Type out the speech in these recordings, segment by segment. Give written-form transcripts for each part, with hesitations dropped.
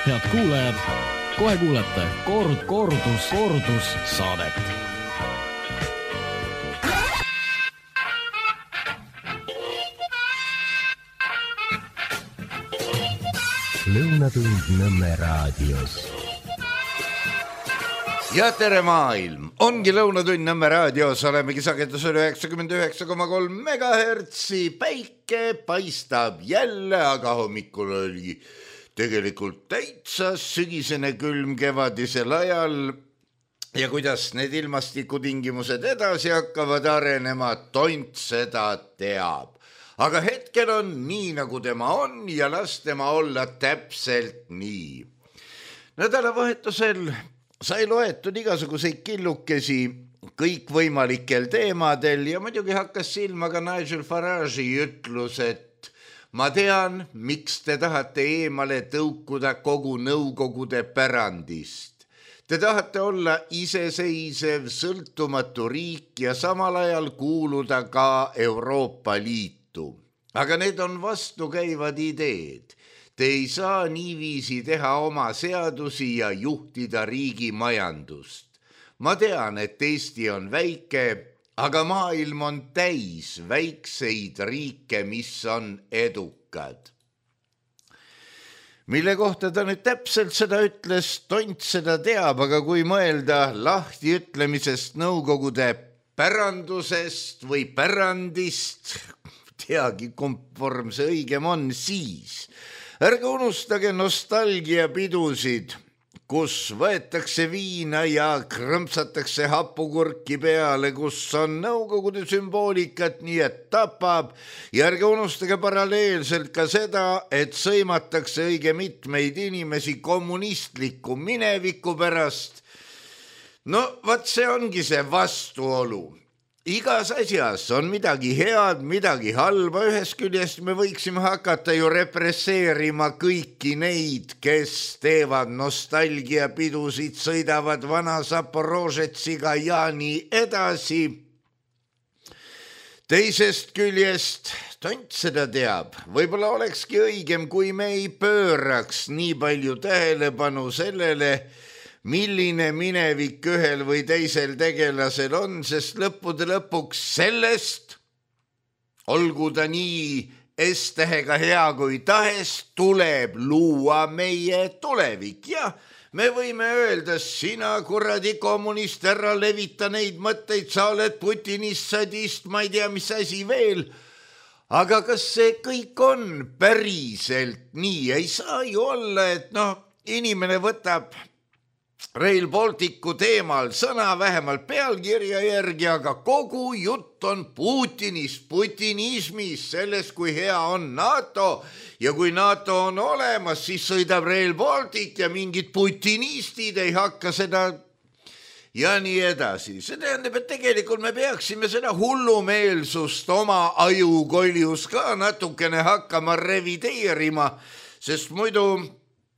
Head kuulajad, kohe kuulete kordus saadet. Lõunatund Nõmme raadios. Ja tere maailm, ongi Lõunatund Nõmme raadios, olemegi sagedusel 99,3 megahertsi, päike paistab jälle, aga hommikul oli tegelikult täitsa sügisene külm kevadisel ajal ja kuidas need ilmastikutingimused edasi hakkavad arenema, tont seda teab. Aga hetkel on nii, nagu tema on ja las tema olla täpselt nii. Nädalavahetusel sai loetud igasuguseid killukesi kõikvõimalikel teemadel ja muidugi hakkas silma ka Nigel Farage'i ütlus, et ma tean, miks te tahate eemale tõukuda kogu nõukogude pärandist. Te tahate olla iseseisev, sõltumatu riik ja samal ajal kuuluda ka Euroopa Liitu. Aga need on vastukäivad ideed. Te ei saa niiviisi teha oma seadusi ja juhtida riigi majandust. Ma tean, et Eesti on väike, aga maailm on täis väikseid riike, mis on edukad. Mille kohta ta nüüd täpselt seda ütles, tont seda teab, aga kui mõelda lahti ütlemisest nõukogude pärandusest või pärandist, teagi konform see õigem on, siis ärge unustage nostalgiapidusid, kus võetakse viina ja krõmpsatakse hapukurki peale, kus on nõukogude sümboolikat, nii et tapab. Ja ärge unustage paralleelselt ka seda, et sõimatakse õige mitmeid inimesi kommunistliku mineviku pärast. No, vaat see ongi see vastuolu. Igas asjas on midagi head, midagi halba. Ühest küljest me võiksime hakata ju represseerima kõiki neid, kes teevad nostalgiapidusid, sõidavad vana Zaporožetsiga ja nii edasi. Teisest küljest, tont seda teab, võib-olla olekski õigem, kui me ei pööraks nii palju tähelepanu sellele, milline minevik ühel või teisel tegelasel on, sest lõppude lõpuks sellest, olgu ta nii S-tähega hea kui tahes, tuleb luua meie tulevik. Ja me võime öelda, sina kuradi kommunist, ära levita neid mõtteid, sa oled Putinist, sadist, ma ei tea, mis asi veel. Aga kas see kõik on päriselt nii? Ei saa ju olla, et inimene võtab Rail Balticu teemal sõna vähemalt pealkirja järgi, aga kogu jutt on Putinist, putinismis, selles, kui hea on NATO ja kui NATO on olemas, siis sõidab Rail Baltic ja mingid putinistid ei hakka seda ja nii edasi. See tähendab, et tegelikult me peaksime seda hullumeelsust oma ajukoljus ka natukene hakkama revideerima, sest muidu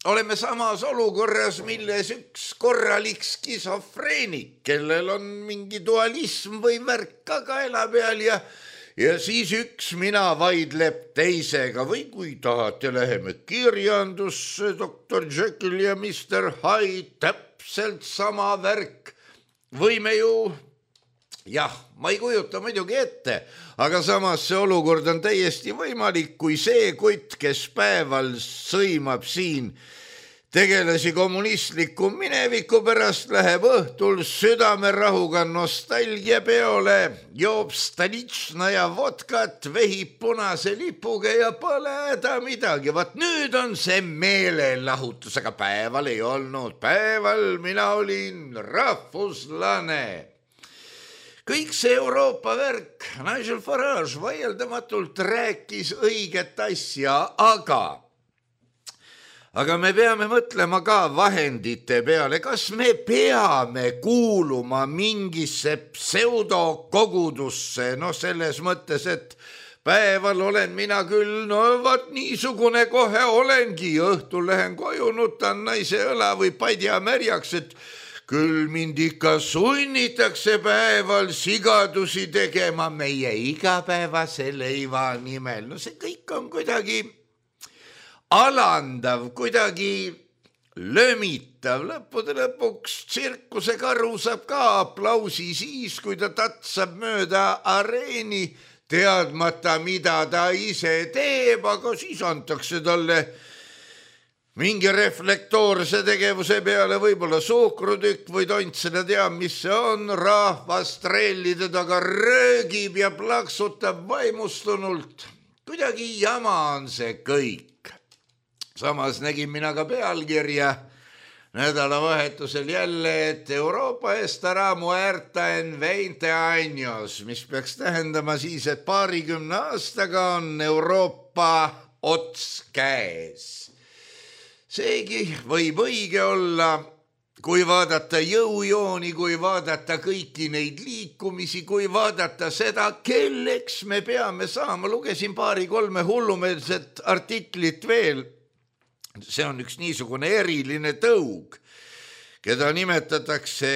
oleme samas olukorras, milles üks korralik skisofreenik, kellel on mingi dualism või värk ka kaela peal ja siis üks mina vaidleb teisega või kui tahate, läheme kirjandusse, Dr. Jekyll ja Mr. Hyde, täpselt sama värk. Võime ju, ma ei kujuta muidugi ette, aga samas see olukord on täiesti võimalik, kui see kutt, kes päeval sõimab siin tegelasi kommunistliku mineviku pärast, läheb õhtul südamerahuga nostalgia peole, joob Stalitšna ja vodkat, vehib punase lipuga ja pole häda midagi. Vaat nüüd on see meelelahutus, aga päeval ei olnud. Päeval mina olin rahvuslane. Kõik see Euroopa värk, Nigel Farage vaieldamatult rääkis õiget asja, aga me peame mõtlema ka vahendite peale, kas me peame kuuluma mingisse pseudokogudusse, selles mõttes, et päeval olen mina küll, vaat niisugune kohe olengi, õhtul lähen koju, nutan naise õla või padja märjaks, et küll mind ikka sunnitakse päeval sigadusi tegema meie igapäevase leiva nimel. See kõik on kuidagi alandav, kuidagi lömitav, lõppude lõpuks tsirkusekaru saab ka aplausi siis, kui ta tatsab mööda areeni, teadmata, mida ta ise teeb, aga siis antakse talle mingi reflektoorse tegevuse peale võib-olla suhkrutükk või tont, seda teab, mis see on, rahvas trellide taga röögib ja plaksutab vaimustunult. Kuidagi jama on see kõik. Samas nägin mina ka pealkirja nädalavahetusel jälle, et Euroopa estará muerta en 20 años, mis peaks tähendama siis, et 20 aastaga on Euroopa ots käes. Seegi võib õige olla, kui vaadata jõujooni, kui vaadata kõiki neid liikumisi, kui vaadata seda, kelleks me peame saama. Lugesin 2-3 hullumeelset artiklit veel. See on üks niisugune eriline tõug, keda nimetatakse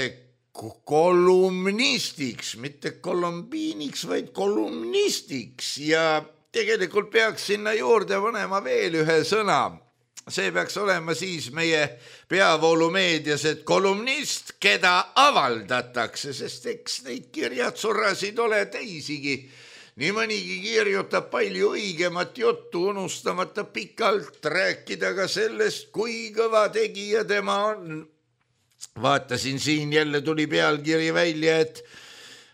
kolumnistiks, mitte kolumbiiniks, vaid kolumnistiks ja tegelikult peaks sinna juurde panema veel ühe sõna. See peaks olema siis meie peavoolumeedias, et kolumnist, keda avaldatakse, sest eks neid kirjatsurasid ole teisigi. Nii mõnigi kirjutab palju õigemat juttu, unustamata pikalt rääkida ka sellest, kui kõva tegija tema on. Vaatasin siin, jälle tuli pealkiri välja, et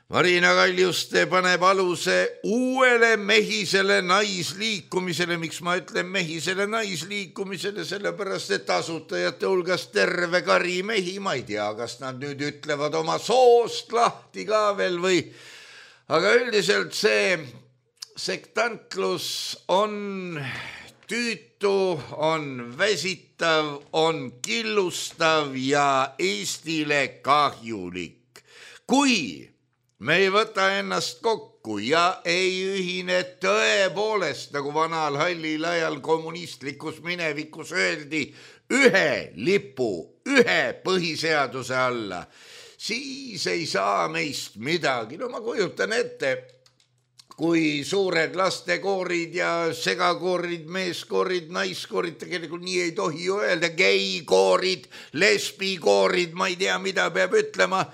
Marina Kaljuste paneb aluse uuele mehisele naisliikumisele. Miks ma ütlen mehisele naisliikumisele? Sellepärast, et asutajate hulgas terve kari mehi, ma ei tea, kas nad nüüd ütlevad oma soost lahti ka veel või... Aga üldiselt see sektantlus on tüütu, on väsitav, on killustav ja Eestile kahjulik. Kui me ei võta ennast kokku ja ei ühine tõepoolest, nagu vanal hallil ajal kommunistlikus minevikus öeldi, ühe lipu, ühe põhiseaduse alla, siis ei saa meist midagi. No ma kujutan ette, kui suured lastekoorid ja segakoorid, meeskoorid, naiskoorid, tegelikult nii ei tohi ju öelda, geikoorid, lesbikoorid, ma ei tea, mida peab ütlema,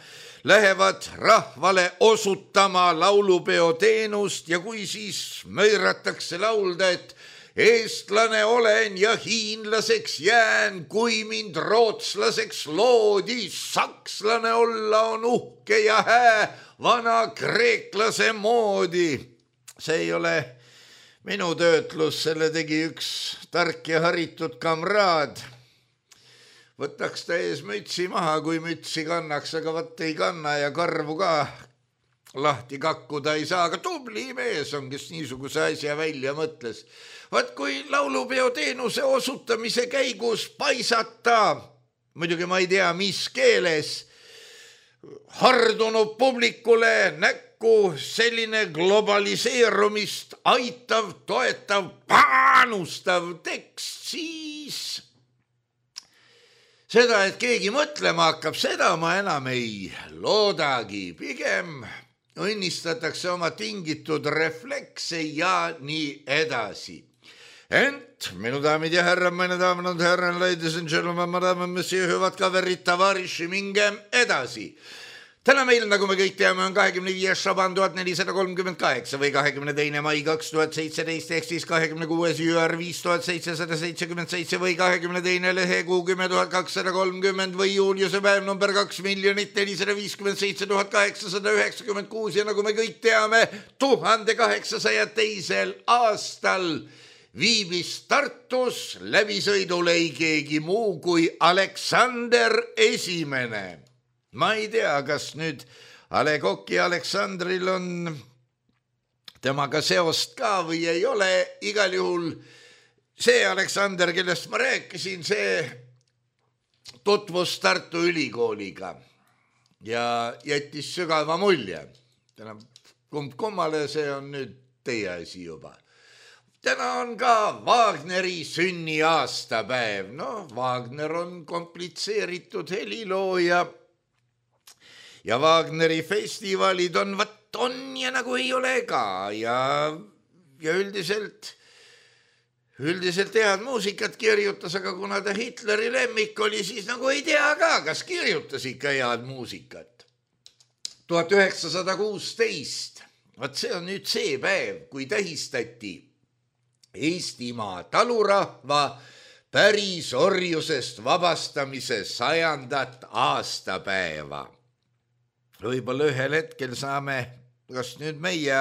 lähevad rahvale osutama laulupeo teenust ja kui siis möiratakse laulda, et eestlane olen ja hiinlaseks jään, kui mind rootslaseks loodi, sakslane olla on uhke ja hää, vana kreeklase moodi. See ei ole minu töötlus, selle tegi üks tark ja haritud kamraad. Võtaks ta ees mütsi maha, kui mütsi kannaks, aga vaat ei kanna ja karvu ka lahti kakkuda ei saa, aga tubli mees on, kes niisuguse asja välja mõtles. Vaat kui laulupeo teenuse osutamise käigus paisata, muidugi ma ei tea, mis keeles, hardunud publikule näkku selline globaliseerumist aitav, toetav, paanustav tekst, siis seda, et keegi mõtlema hakkab, seda ma enam ei loodagi. Pigem õnnistatakse oma tingitud reflekse ja nii edasi. Ent, minu daamid ja härrad, meine damen und herren, ladies and gentlemen, madame, monsieur, hüvad kaverid, tavariši, mingem edasi. Täna meil, nagu me kõik teame, on 25. šaban 1438 või 22. mai 2017 ehk siis 26. jüär 5777 või 22. lehekuu 10.230 või juuliuse päev number 2 457 896 ja nagu me kõik teame, 1802. aastal viibis Tartus läbisõidul ei keegi muu kui Aleksander Esimene. Ma ei tea, kas nüüd A Le Coq'i Aleksandril on temaga seost ka või ei ole. Igal juhul see Aleksander, kellest ma rääkisin, see tutvus Tartu Ülikooliga ja jättis sügava mulje. Kummale see on nüüd teie asi juba. Täna on ka Wagneri sünniaastapäev. No, Wagner on komplitseeritud helilooja ja Wagneri festivalid on ja nagu ei ole ka ja üldiselt üldiselt head muusikat kirjutas, aga kuna ta Hitleri lemmik oli, siis nagu ei tea ka, kas kirjutas ikka head muusikat. 1916, vaat see on nüüd see päev, kui tähistati Eestimaa talurahva pärisorjusest vabastamise 100. aastapäeva. Võib-olla ühel hetkel saame, kas nüüd meie,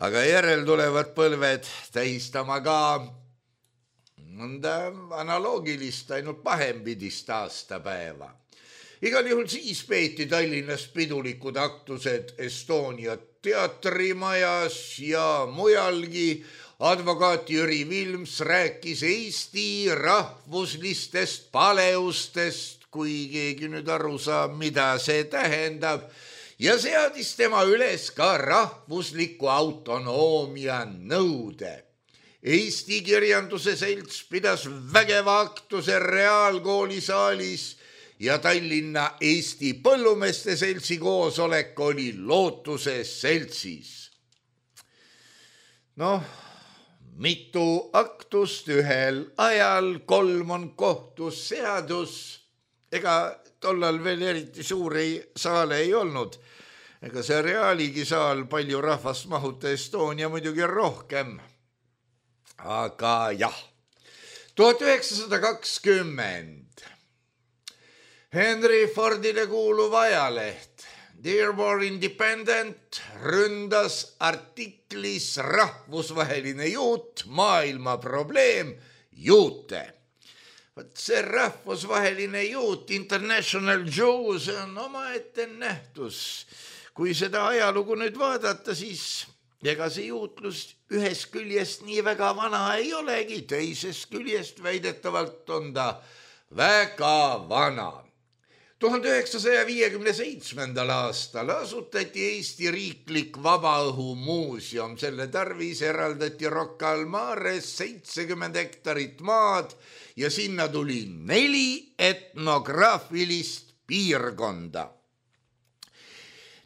aga järeltulevad põlved tähistama ka mõnda analoogilist, ainult pahempidist aastapäeva. Igal juhul siis peeti Tallinnas pidulikud aktused Estonia teatrimajas ja mujalgi. Advokaat Jüri Vilms rääkis Eesti rahvuslistest paleustest, kui keegi nüüd aru saab, mida see tähendab, ja seadis tema üles ka rahvusliku autonoomia nõude. Eesti Kirjanduse Selts pidas vägeva aktuse Reaalkooli saalis ja Tallinna Eesti Põllumeeste Seltsi koosolek oli Lootuse seltsis. Mitu aktust ühel ajal, 3 on kohtusseadus. Ega tollal veel eriti suuri saale ei olnud. Ega see Reaaligi saal palju rahvast mahuta, Estonia muidugi rohkem. Aga jah, 1920 Henry Fordile kuuluv ajaleht Dearborn Independent ründas artiklis rahvusvaheline juut, maailma probleem, juute. Võt see rahvusvaheline juut, International Jew, see on omaette nähtus. Kui seda ajalugu nüüd vaadata, siis ega see juutlus ühest küljest nii väga vana ei olegi, teisest küljest väidetavalt on ta väga vana. 1957. aastal asutati Eesti riiklik vabaõhumuuseum. Selle tarvis eraldati Rocca al Mares 70 hektarit maad ja sinna tuli 4 etnograafilist piirkonda.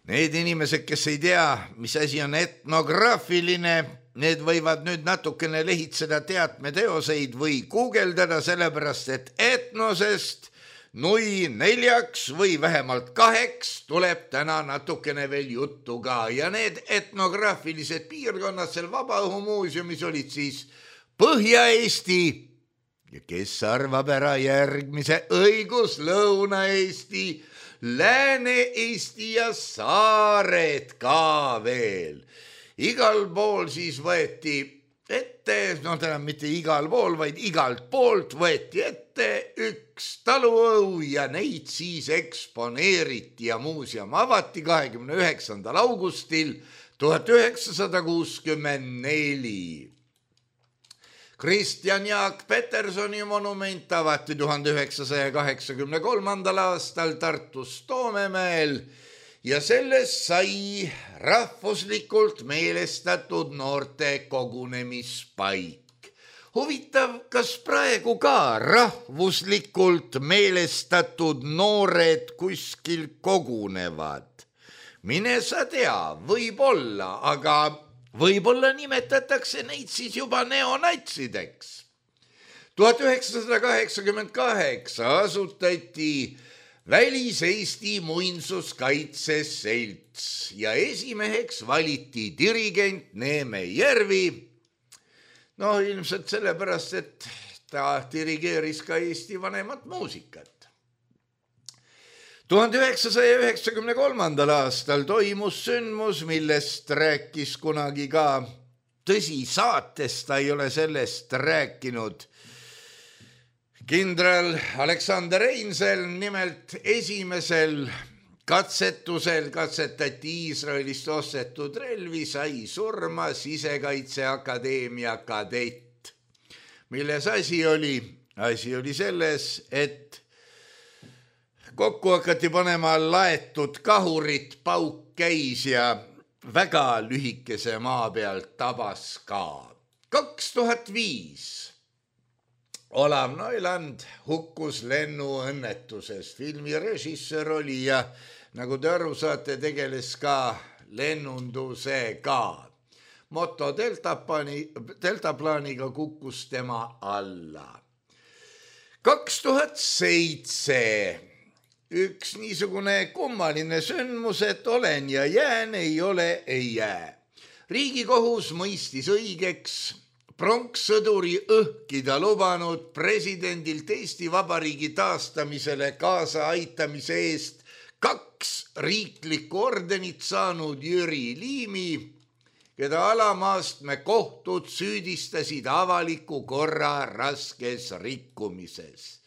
Need inimesed, kes ei tea, mis asi on etnograafiline, need võivad nüüd natukene lehitseda teatmeteoseid või guugeldada, sellepärast et etnosest 4 või vähemalt 8 tuleb täna natukene veel juttu ka. Ja need etnograafilised piirkonnad seal Vabaõhumuuseumis olid siis Põhja-Eesti ja kes arvab ära järgmise õigus Lõuna-Eesti, Lääne-Eesti ja saared ka veel. Igal pool siis võeti ette, täna mitte igal pool, vaid igalt poolt võeti ette üks taluõu ja neid siis eksponeeriti ja muuseum avati 29. augustil 1964. Kristjan Jaak Petersoni monument avati 1983. aastal Tartus Toomemäel ja sellest sai rahvuslikult meelestatud noorte kogunemispaik. Huvitav, kas praegu ka rahvuslikult meelestatud noored kuskil kogunevad? Mine sa tea, võib-olla, aga võib-olla nimetatakse neid siis juba neonatsideks. 1988 asutati Välis-Eesti Muinsuskaitse Selts ja esimeheks valiti dirigent Neeme Järvi. Ilmselt sellepärast, et ta dirigeeris ka Eesti vanemat muusikat. 1993. aastal toimus sündmus, millest rääkis kunagi ka, tõsi, saates ta ei ole sellest rääkinud, kindral Aleksander Einzel. Nimelt esimesel katsetusel katsetati Iisraelist ostetud relvi, sai surma Sisekaitseakadeemia kadett. Milles asi oli? Asi oli selles, et kokku hakati panema laetud kahurit, pauk käis ja väga lühikese maa pealt tabas ka. 2005 Olav Noiland hukkus lennuõnnetuses. Filmi režissöör oli ja nagu te aru saate, tegeles ka lennundusega. moto deltaplaaniga kukkus tema alla. 2007 üks niisugune kummaline sündmus, et olen ja jään, ei ole, ei jää. Riigikohus mõistis õigeks pronkssõduri õhkida lubanud presidendilt Eesti Vabariigi taastamisele kaasa aitamise eest 2 riiklikku ordenit saanud Jüri Liimi, keda alamaastme kohtud süüdistasid avaliku korra raskes rikkumises.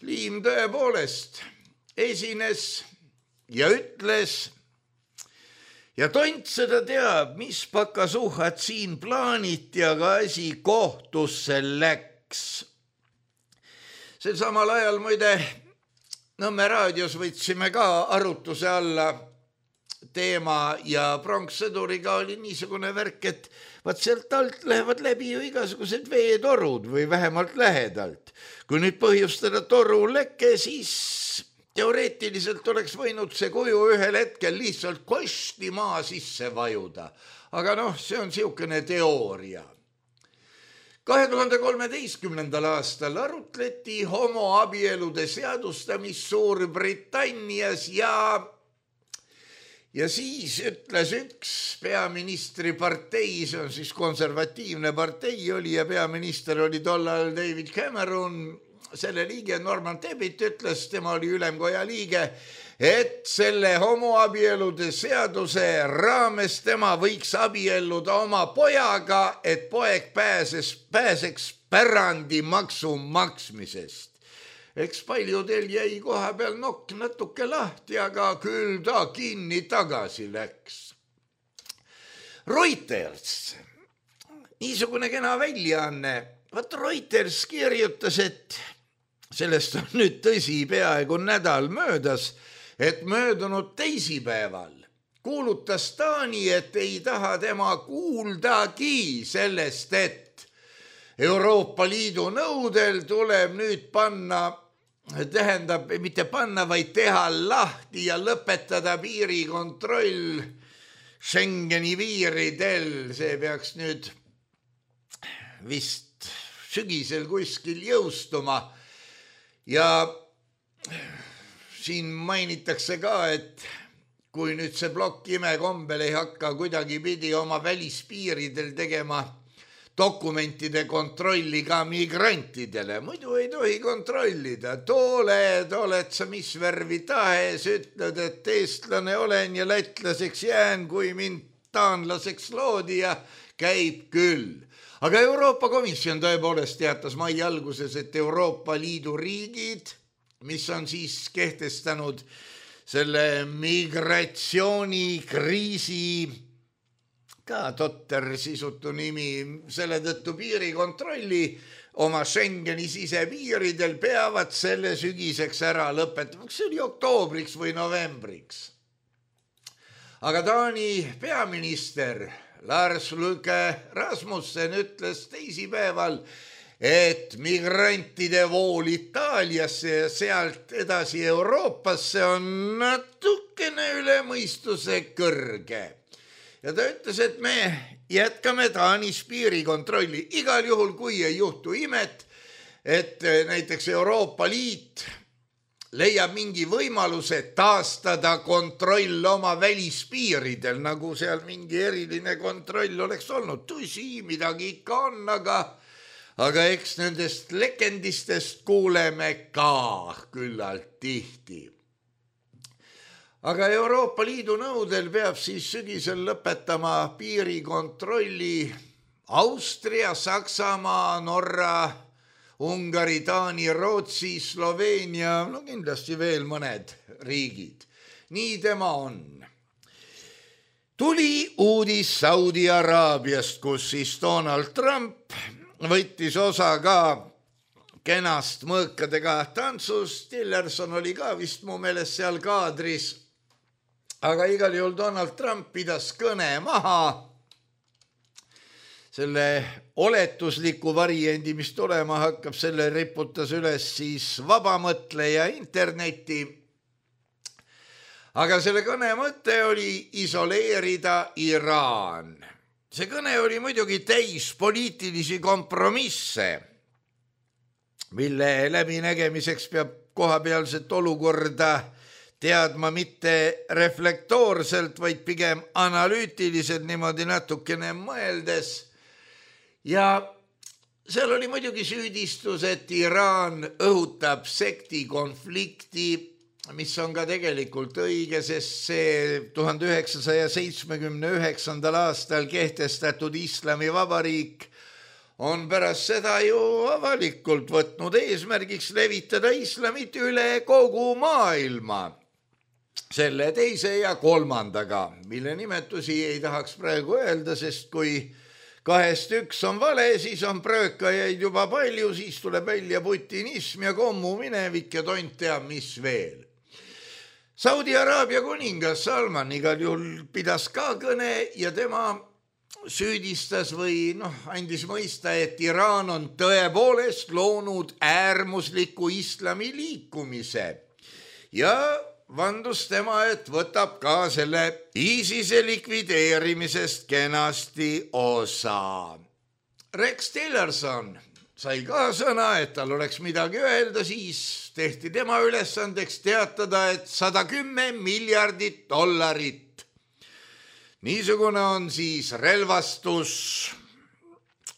Liim tõepoolest esines ja ütles ja tont seda teab, mis pakasuhad siin plaaniti, aga asi kohtusse läks. Sel samal ajal muide Nõmme raadios võtsime ka arutuse alla teema ja pronkssõduriga oli niisugune värk, et vaat sealt alt lähevad läbi ju igasugused veetorud või vähemalt lähedalt. Kui nüüd põhjustada toruleke, siis teoreetiliselt oleks võinud see kuju ühel hetkel lihtsalt kosti maa sisse vajuda. Aga see on siukene teooria. 2013. aastal arutleti homoabielude seadustamist Suurbritannias ja siis ütles üks peaministri partei, see on siis konservatiivne partei oli ja peaminister oli tollal David Cameron, selle liige Norman Tebbit ütles, tema oli ülemkoja liige, et selle homoabielude seaduse raames tema võiks abielluda oma pojaga, et poeg pääseks pärandimaksu maksmisest. Eks paljudel jäi koha peal nokk natuke lahti, aga küll ta kinni tagasi läks. Reuters, niisugune kena väljaanne. Vaat Reuters kirjutas, et sellest on nüüd tõsi peaaegu nädal möödas, et möödunud teisipäeval kuulutas Taani, et ei taha tema kuuldagi sellest, et Euroopa Liidu nõudel tuleb nüüd mitte panna, vaid teha lahti ja lõpetada piirikontroll Schengeni piiridel. See peaks nüüd vist sügisel kuskil jõustuma. Ja siin mainitakse ka, et kui nüüd see plokk imekombel ei hakka kuidagi pidi oma välispiiridel tegema dokumentide kontrolli ka migrantidele, muidu ei tohi kontrollida. Oled sa mis värvi tahes, ütled, et eestlane olen ja lätlaseks jään, kui mind taanlaseks loodi ja käib küll. Aga Euroopa Komisjon tõepoolest teatas mai alguses, et Euroopa Liidu riigid, mis on siis kehtestanud selle migratsioonikriisi, ka totter sisutu nimi, selle tõttu piirikontrolli oma Schengeni sisepiiridel peavad selle sügiseks ära lõpetama. See oli oktoobriks või novembriks. Aga Taani peaminister Lars Løkke Rasmussen ütles teisipäeval, et migrantide vool Itaaliasse ja sealt edasi Euroopasse on natukene üle mõistuse kõrge. Ja ta ütles, et me jätkame Taanis piirikontrolli. Igal juhul, kui ei juhtu imet, et näiteks Euroopa Liit leiab mingi võimaluse taastada kontroll oma välispiiridel, nagu seal mingi eriline kontroll oleks olnud. Tõsi, midagi ikka on, aga eks nendest legendistest kuuleme ka küllalt tihti. Aga Euroopa Liidu nõudel peab siis sügisel lõpetama piirikontrolli Austria, Saksamaa, Norra, Ungari, Taani, Rootsi, Sloveenia, kindlasti veel mõned riigid. Nii tema on. Tuli uudis Saudi Araabiast, kus siis Donald Trump võttis osa ka kenast mõõkadega tantsust. Tillerson oli ka vist mu meelest seal kaadris. Aga igal juhul Donald Trump pidas kõne maha. Selle oletusliku variandi, mis tulema hakkab, selle riputas üles siis vabamõtleja interneti. Aga selle kõne mõte oli isoleerida Iraan. see kõne oli muidugi täis poliitilisi kompromisse, mille läbinägemiseks peab kohapealset olukorda teadma mitte reflektoorselt, vaid pigem analüütiliselt niimoodi natukene mõeldes. Ja seal oli muidugi süüdistus, et Iraan õhutab sektikonflikti, mis on ka tegelikult õige, sest see 1979. aastal kehtestatud Islamivabariik on pärast seda ju avalikult võtnud eesmärgiks levitada islamit üle kogu maailma. Selle teise ja kolmandaga, mille nimetusi ei tahaks praegu öelda, sest kui kahest üks on vale, siis on pröökajaid juba palju, siis tuleb välja putinism ja kommuminevik ja tont teab mis veel. Saudi Araabia kuningas Salman igal juhul pidas ka kõne ja tema süüdistas või andis mõista, et Iraan on tõepoolest loonud äärmusliku islami liikumise ja vandus tema, et võtab ka selle ISISe likvideerimisest kenasti osa. Rex Tillerson sai ka sõna, et tal oleks midagi öelda, siis tehti tema ülesandeks teatada, et $110 miljardit. Niisugune on siis relvastus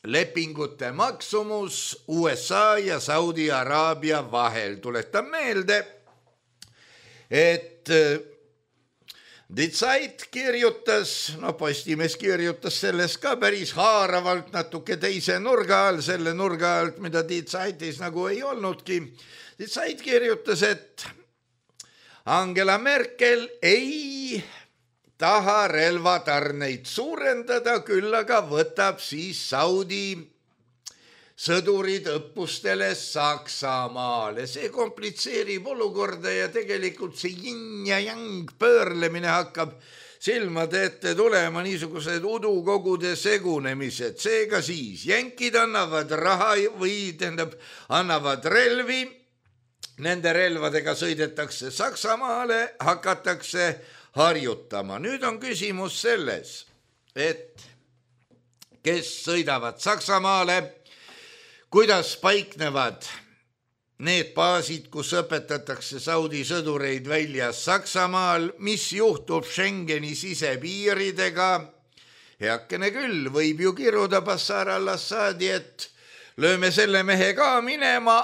lepingute maksumus USA ja Saudi Araabia vahel. Tuletan meelde, et Die Zeit kirjutas, Postimees kirjutas sellest ka päris haaravalt natuke teise nurga all, selle nurga alt, mida Die Zeitis nagu ei olnudki. Die Zeit kirjutas, et Angela Merkel ei taha relvatarneid suurendada, küll aga võtab siis Saudi sõdurid õppustele Saksamaale. See komplitseerib olukorda ja tegelikult see yin ja yang pöörlemine hakkab silmade ette tulema, niisugused udukogude segunemised. Seega siis jänkid annavad raha või annavad relvi, nende relvadega sõidetakse Saksamaale, hakatakse harjutama. Nüüd on küsimus selles, et kes sõidavad Saksamaale, kuidas paiknevad need baasid, kus õpetatakse Saudi sõdureid välja Saksamaal, mis juhtub Schengeni sisepiiridega. Heakene küll, võib ju kiruda Bashar al-Assadi, et lööme selle mehe ka minema,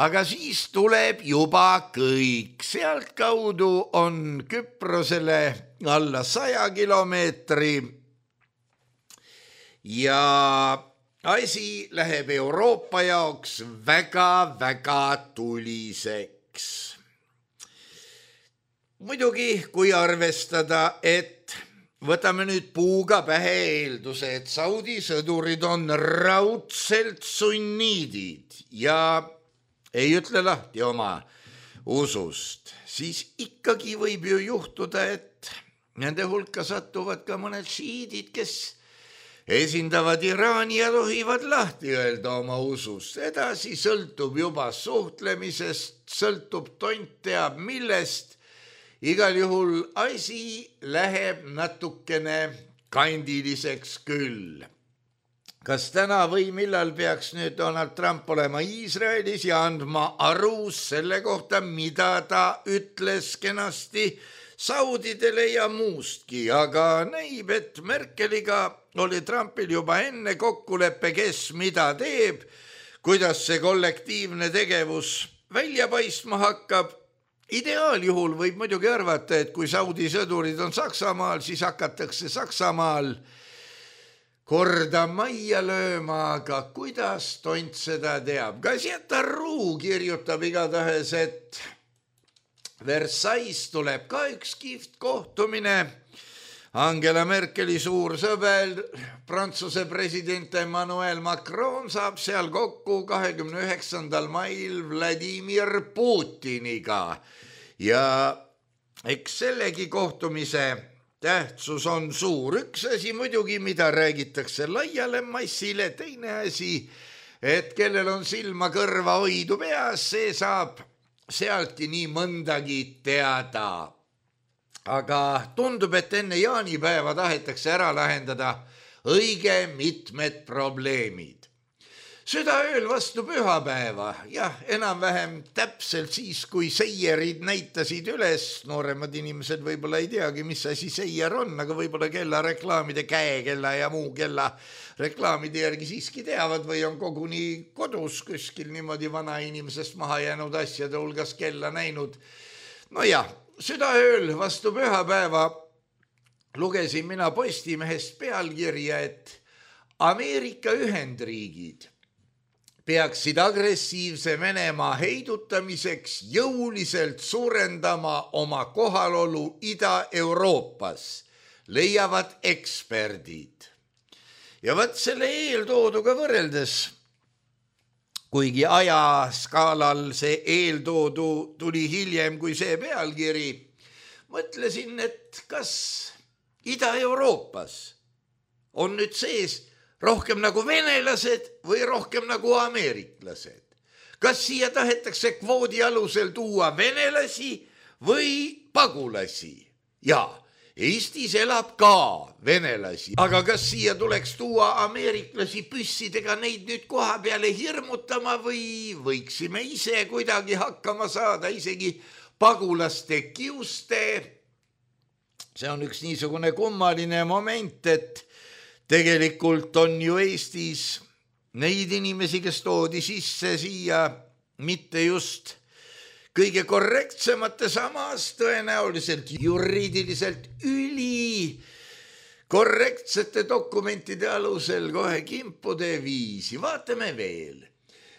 aga siis tuleb juba kõik. Sealt kaudu on Küprosele alla 100 kilomeetri ja asi läheb Euroopa jaoks väga-väga tuliseks. Muidugi, kui arvestada, et võtame nüüd puuga pähe eelduse, et Saudi sõdurid on raudselt sunniidid ja ei ütle lahti oma usust, siis ikkagi võib ju juhtuda, et nende hulka satuvad ka mõned šiidid, kes esindavad Iraani ja tohivad lahti öelda oma usust. Edasi sõltub juba suhtlemisest, sõltub tont teab millest. Igal juhul asi läheb natukene kandiliseks küll. Kas täna või millal peaks nüüd Donald Trump olema Iisraelis ja andma aru selle kohta, mida ta ütles kenasti saudidele ja muustki, aga näib, et Merkeliga oli Trumpil juba enne kokkuleppe, kes mida teeb, kuidas see kollektiivne tegevus välja paistma hakkab. Ideaaljuhul võib muidugi arvata, et kui Saudi sõdurid on Saksamaal, siis hakatakse Saksamaal korda majja lööma, aga kuidas tont seda teab? Gazeta Ru kirjutab igatahes, et Versailles tuleb ka üks kihvt kohtumine. Angela Merkeli suur sõber, Prantsuse president Emmanuel Macron saab seal kokku 29. mail Vladimir Putiniga. Ja eks sellegi kohtumise tähtsus on suur. Üks asi muidugi, mida räägitakse laiale massile, teine asi, et kellel on silma kõrva hoidu peas, see saab sealti nii mõndagi teada. aga tundub, et enne jaanipäeva tahetakse ära lahendada õige mitmed probleemid. Südaööl vastu pühapäeva, jah, enam-vähem täpselt siis, kui seierid näitasid üles, nooremad inimesed võib-olla ei teagi, mis asi seier on, aga võib-olla kellareklaamide, käekella ja muu kella reklaamide järgi siiski teavad või on koguni kodus kuskil niimoodi vanainimesest maha jäänud asjade hulgas kella näinud. No jah, südaööl vastu pühapäeva lugesin mina Postimehest pealkirja, et Ameerika Ühendriigid peaksid agressiivse Venemaa heidutamiseks jõuliselt suurendama oma kohalolu Ida-Euroopas, leiavad eksperdid. Ja võt selle eeltooduga võrreldes, kuigi ajaskaalal see eeltoodu tuli hiljem kui see pealkiri, mõtlesin, et kas Ida-Euroopas on nüüd sees rohkem nagu venelased või rohkem nagu ameeriklased. Kas siia tahetakse kvoodi alusel tuua venelasi või pagulasi? Jaa, Eestis elab ka venelasi, aga kas siia tuleks tuua ameeriklasi püssidega neid nüüd koha peale hirmutama või võiksime ise kuidagi hakkama saada isegi pagulaste kiuste? See on üks niisugune kummaline moment, et tegelikult on ju Eestis neid inimesi, kes toodi sisse siia mitte just kõige korrektsemate, samas tõenäoliselt juriidiliselt korrektsete dokumentide alusel kohe kimpude viisi. Vaatame veel.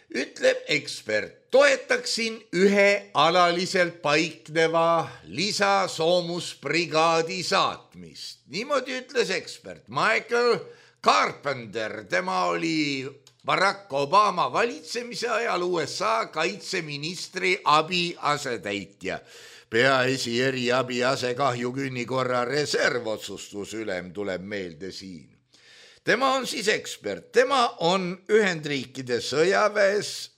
Ütleb ekspert, toetaksin ühe alaliselt paikneva lisasoomusbrigaadi saatmist. Niimoodi ütles ekspert Michael Carpenter, tema oli Barack Obama valitsemise ajal USA kaitseministri abiasetäitja, peaesi eriabi asekahjukünni korra reservotsustusülem tuleb meelde siin. Tema on siis ekspert, tema on Ühendriikide sõjaväes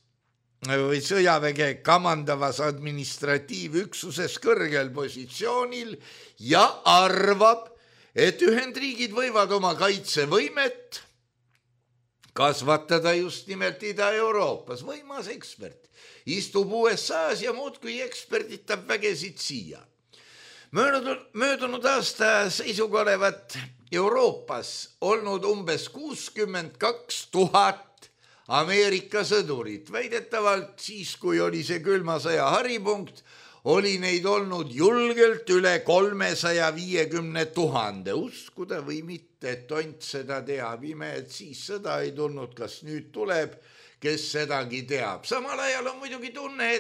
või sõjaväge kamandavas administratiivüksuses kõrgel positsioonil ja arvab, et Ühendriigid võivad oma kaitsevõimet kasvatada just nimelt Ida-Euroopas. Võimas ekspert, istub USA-s ja muudkui eksperditab vägesid siia. Möödunud aasta seisuga olevat Euroopas olnud umbes 62 000 Ameerika sõdurit. Väidetavalt siis, kui oli see külma sõja haripunkt, oli neid olnud julgelt üle 350 000. Uskuda või mitte, et tont seda teab. Ime, et siis sõda ei tulnud, kas nüüd tuleb, kes sedagi teab. Samal ajal on muidugi tunne,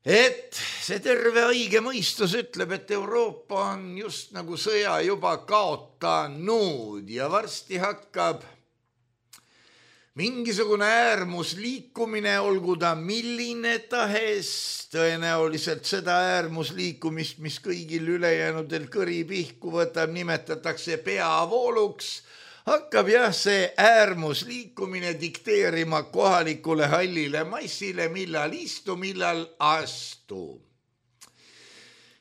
et see terve õige mõistus ütleb, et Euroopa on just nagu sõja juba kaotanud ja varsti hakkab mingisugune äärmusliikumine, olgu ta milline tahes, tõenäoliselt seda äärmusliikumist, mis kõigil ülejäänudel kõri pihku võtab, nimetatakse peavooluks, hakkab jah see äärmusliikumine dikteerima kohalikule hallile massile, millal istu, millal astu.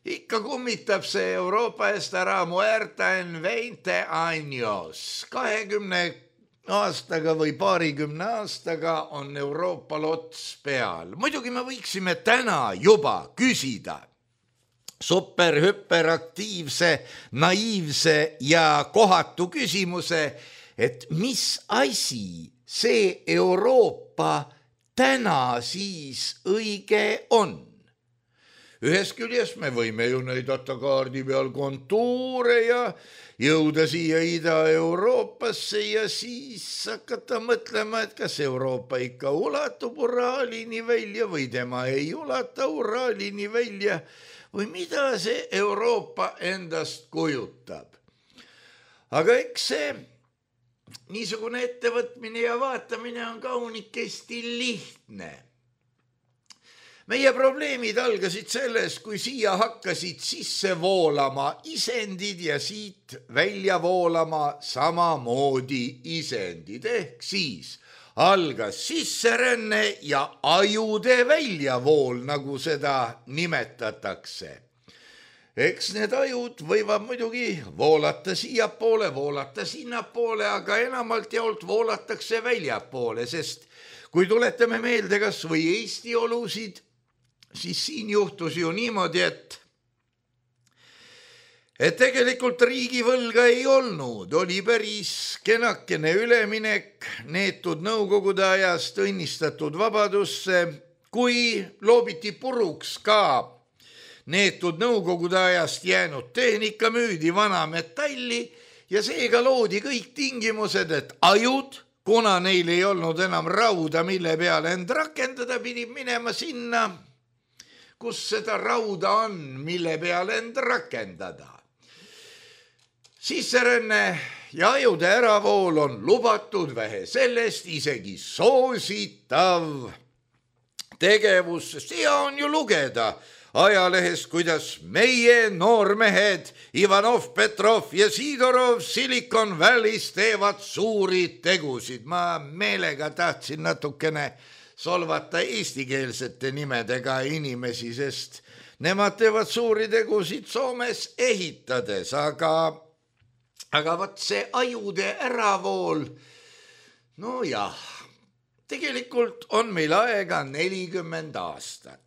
Ikka kummitab see Euroopa estará muerta en 20 años. 20 aastaga või paarikümne aastaga on Euroopal ots peal. Muidugi me võiksime täna juba küsida superhüperaktiivse, naiivse ja kohatu küsimuse, et mis asi see Euroopa täna siis õige on? Ühest küljest me võime ju näidata kaardi peal kontuure ja jõuda siia Ida-Euroopasse ja siis hakata mõtlema, et kas Euroopa ikka ulatub Uraalini välja või tema ei ulata Uraalini välja või mida see Euroopa endast kujutab. Aga eks see niisugune ettevõtmine ja vaatamine on kaunikesti lihtne. Meie probleemid algasid sellest, kui siia hakkasid sisse voolama isendid ja siit välja voolama samamoodi isendid, ehk siis algas sisseränne ja ajude väljavool, nagu seda nimetatakse. Eks need ajud võivad muidugi voolata siiapoole, voolata sinnapoole, aga enamalt jaolt voolatakse väljapoole, sest kui tuletame meelde kas või Eesti olusid, siis siin juhtus ju niimoodi, et tegelikult riigivõlga ei olnud, oli päris kenakene üleminek neetud nõukogude ajast õnnistatud vabadusse, kui loobiti puruks ka neetud nõukogude ajast jäänud tehnika, müüdi vana metalli ja seega loodi kõik tingimused, et ajud, kuna neil ei olnud enam rauda, mille peale end rakendada, pidid minema sinna, kus seda rauda on, mille peale end rakendada. Sisseränne ja ajude äravool on lubatud, vähe sellest isegi soositav tegevus, sest hea on ju lugeda ajalehest, kuidas meie noormehed Ivanov, Petrov ja Sidorov Silicon Valley's teevad suuri tegusid. Ma meelega tahtsin natukene solvata eestikeelsete nimedega inimesi, sest nemad teevad suuri tegusid Soomes ehitades, aga vaat see ajude äravool, no jah, tegelikult on meil aega 40 aastat.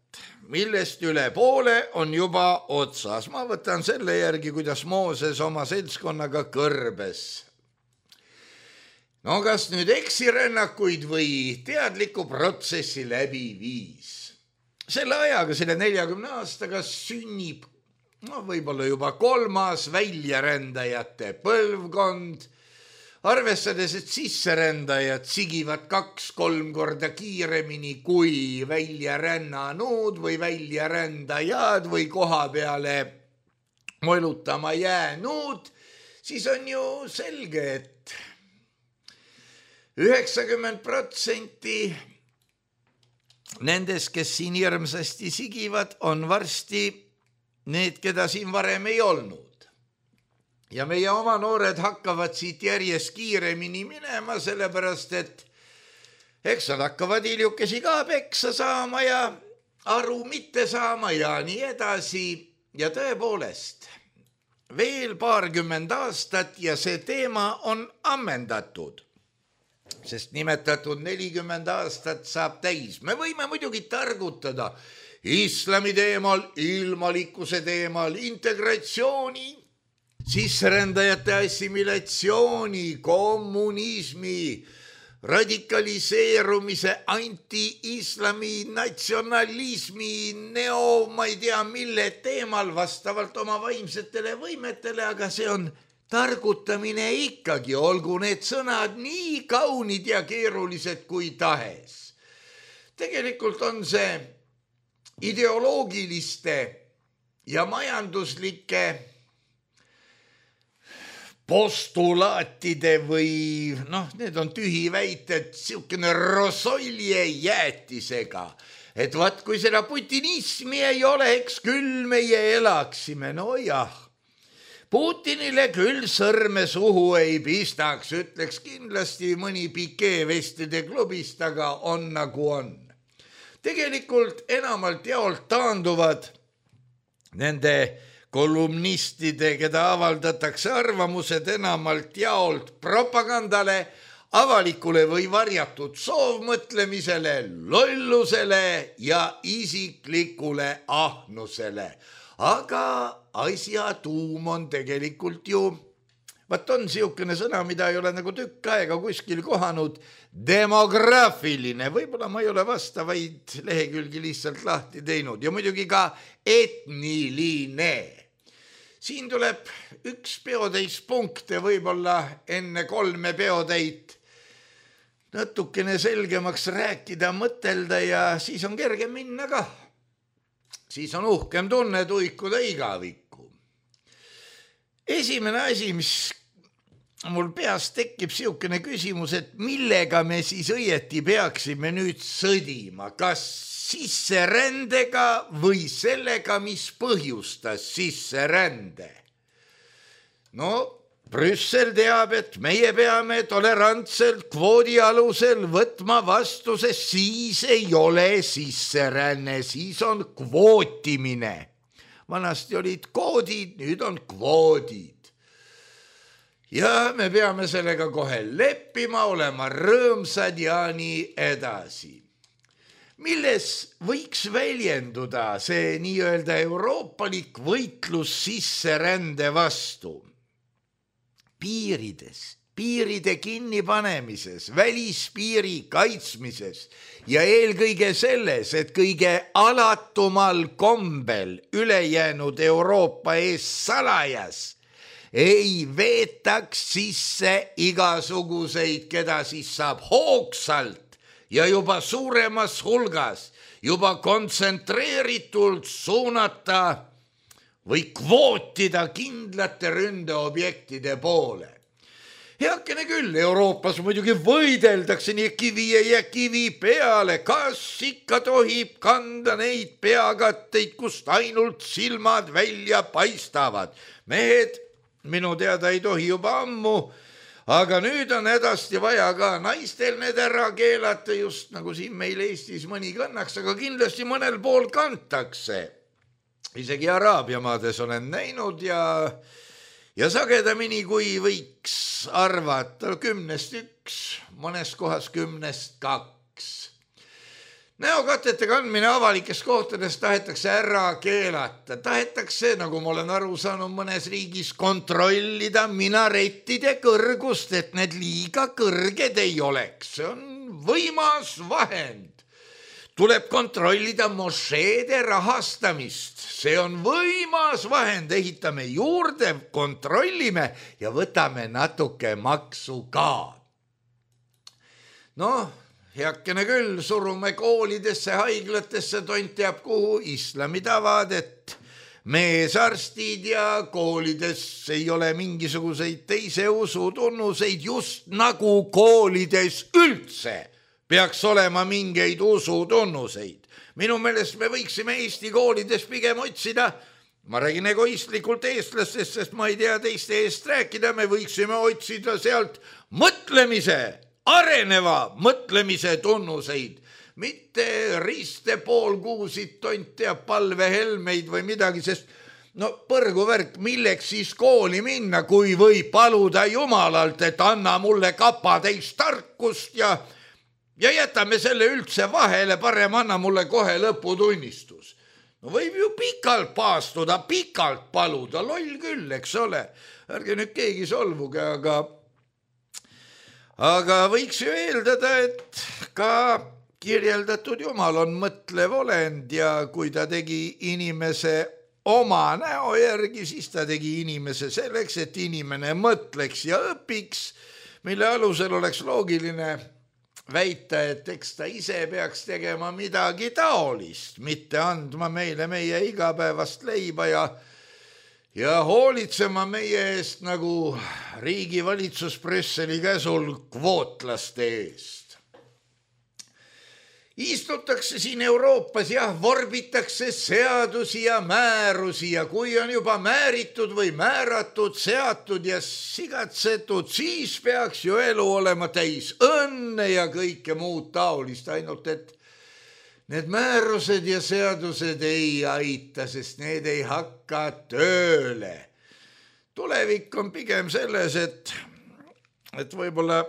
Millest üle poole on juba otsas. Ma võtan selle järgi, kuidas Mooses oma seltskonnaga kõrbes. No kas nüüd eksirännakuid või teadliku protsessi läbi viis? Selle ajaga, selle 40 aastaga sünnib võib-olla juba 3. väljarändajate põlvkond, arvestades, et sisserändajad sigivad 2-3 korda kiiremini kui väljarännanud või väljarändajad või koha peale molutama jäänud, siis on ju selge, et 90% nendest, kes siin hirmsasti sigivad, on varsti need, keda siin varem ei olnud. Ja meie oma noored hakkavad siit järjest kiiremini minema, sellepärast, et eks nad hakkavad hiljukesi ka peksa saama ja aru mitte saama ja nii edasi. Ja tõepoolest, veel 20 aastat ja see teema on ammendatud, sest nimetatud 40 aastat saab täis. Me võime muidugi targutada islami teemal, ilmalikkuse teemal, integratsiooni, sisserändajate assimilatsiooni, kommunismi, radikaliseerumise, anti-islami, natsionalismi, ma ei tea mille teemal vastavalt oma vaimsetele võimetele, aga see on targutamine ikkagi, olgu need sõnad nii kaunid ja keerulised kui tahes. Tegelikult on see ideoloogiliste ja majanduslike postulaatide või need on tühiväited, siukene rosolje jäätisega, et vaat kui seda putinismi ei oleks, küll meie elaksime, no jah. Putinile küll sõrme suhu ei pistaks, ütleks kindlasti mõni pikeevestide klubist, aga on nagu on. Tegelikult enamalt jaolt taanduvad nende kolumnistide, keda avaldatakse arvamused enamalt jaolt propagandale, avalikule või varjatud soovmõtlemisele, lollusele ja isiklikule ahnusele. Aga asja tuum on tegelikult ju, vaat on siukene sõna, mida ei ole nagu tükk aega kuskil kohanud, demograafiline, võib-olla ma ei ole vastavaid lehekülgi lihtsalt lahti teinud ja muidugi ka etniline. Siin tuleb üks peotäis punkte võib-olla enne 3 peotäit natukene selgemaks rääkida, mõtelda ja siis on kergem minna ka. Siis on uhkem tunne tuikuda igavikku. Esimene asi, mis mul peas tekib siukene küsimus, et millega me siis õieti peaksime nüüd sõdima, kas sisserändega või sellega, mis põhjustas sisserände. No Brüssel teab, et meie peame tolerantselt kvoodi alusel võtma vastu, sest siis ei ole sisseränne, siis on kvootimine. Vanasti olid koodid, nüüd on kvoodid. Ja me peame sellega kohe leppima, olema rõõmsad ja nii edasi. Milles võiks väljenduda see nii-öelda euroopalik võitlus sisserände vastu? Piirides, piiride kinnipanemises, välispiiri kaitsmises ja eelkõige selles, et kõige alatumal kombel ülejäänud Euroopa ees salajas ei veetaks sisse igasuguseid, keda siis saab hoogsalt ja juba suuremas hulgas, juba kontsentreeritult suunata või kvootida kindlate ründeobjektide poole. Heakene küll, Euroopas muidugi võideldakse, nii kivi ei jää kivi peale, kas ikka tohib kanda neid peakatteid, kust ainult silmad välja paistavad. Mehed, minu teada ei tohi juba ammu, aga nüüd on hädasti vaja ka naistel need ära keelata, just nagu siin meil Eestis mõni kannaks, aga kindlasti mõnel pool kantakse. Isegi Araabia maades olen näinud ja sagedamini kui võiks arvata, 10-st 1, mõnes kohas 10-st 2. Näokatete kandmine avalikes kohtades tahetakse ära keelata. Tahetakse, nagu ma olen aru saanud, mõnes riigis kontrollida minarettide kõrgust, et need liiga kõrged ei oleks. See on võimas vahend. Tuleb kontrollida mošeede rahastamist. See on võimas vahend, ehitame juurde, kontrollime ja võtame natuke maksu ka. Noh, heakene küll, surume koolidesse, haiglatesse, tont teab kuhu, islami tavad, et meesarstid ja koolides ei ole mingisuguseid teise usu tunnuseid, just nagu koolides üldse peaks olema mingeid usutunnuseid. Minu meelest me võiksime Eesti koolides pigem otsida, ma räägin egoistlikult eestlastest, sest ma ei tea teiste eest rääkida, me võiksime otsida sealt mõtlemise, areneva mõtlemise tunnuseid, mitte riste poolkuusid, tont teab palvehelmeid või midagi, sest no põrguvärk, milleks siis kooli minna, kui võib paluda Jumalalt, et anna mulle kapatäis tarkust ja jätame selle üldse vahele, parem anna mulle kohe lõputunnistus. No võib ju pikalt paastuda, pikalt paluda, loll küll, eks ole. Ärge nüüd keegi solvuge, aga võiks ju eeldada, et ka kirjeldatud Jumal on mõtlev olend ja kui ta tegi inimese oma näo järgi, siis ta tegi inimese selleks, et inimene mõtleks ja õpiks, mille alusel oleks loogiline väita, et eks ta ise peaks tegema midagi taolist, mitte andma meile meie igapäevast leiba ja hoolitsema meie eest nagu riigivalitsus Brüsseli käsul kvootlaste eest. Istutakse siin Euroopas, jah, vorbitakse seadusi ja määrusi ja kui on juba määritud või määratud, seatud ja sigatsetud, siis peaks ju elu olema täis õnne ja kõike muud taolist, ainult et need määrused ja seadused ei aita, sest need ei hakka tööle. Tulevik on pigem selles, et võib-olla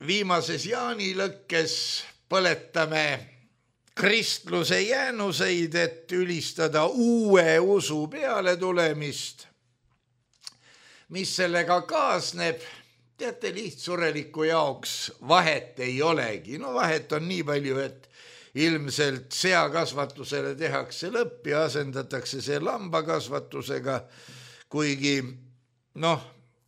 viimases jaanilõkkes põletame kristluse jäänuseid, et ülistada uue usu peale tulemist. Mis sellega kaasneb, teate, lihtsureliku jaoks vahet ei olegi. No vahet on nii palju, et ilmselt seakasvatusele tehakse lõpp ja asendatakse see lambakasvatusega, kuigi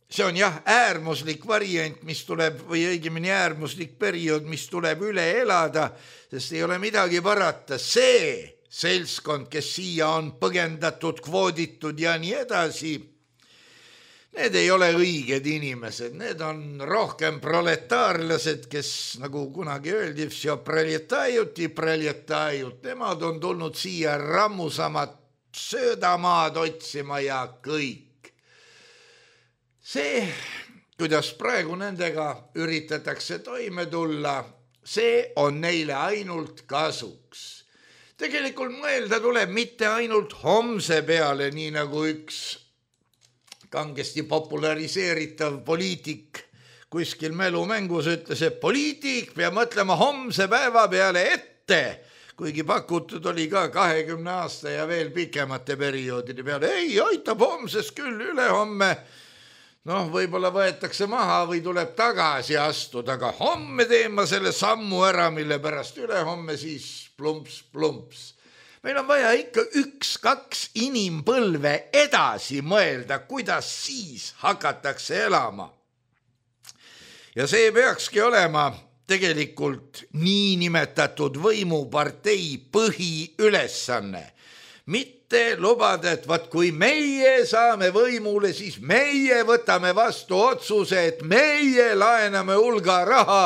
see on jah äärmuslik variant, mis tuleb, või õigemini äärmuslik periood, mis tuleb üle elada, sest ei ole midagi parata. See seltskond, kes siia on põgendatud, kvooditud ja nii edasi, need ei ole õiged inimesed, need on rohkem proletaarlased, kes nagu kunagi öeldi, nemad on tulnud siia rammusamat söödamaad otsima ja kõik. See kuidas praegu nendega üritatakse toime tulla, see on neile ainult kasuks. Tegelikult mõelda tuleb mitte ainult homse peale, nii nagu üks kangesti populariseeritav poliitik kuskil mälumängus ütles, et poliitik peab mõtlema homse päeva peale ette, kuigi pakutud oli ka 20 aasta ja veel pikemate perioodide peale. Ei, aitab homsest küll, ülehomme võib-olla võetakse maha või tuleb tagasi astuda, aga homme teen ma selle sammu ära, mille pärast ülehomme siis plumps. Meil on vaja ikka 1-2 inimpõlve edasi mõelda, kuidas siis hakatakse elama. Ja see peakski olema tegelikult niinimetatud võimupartei põhiülesanne. Mitte lubada, et kui meie saame võimule, siis meie võtame vastu otsuse, et meie laename hulga raha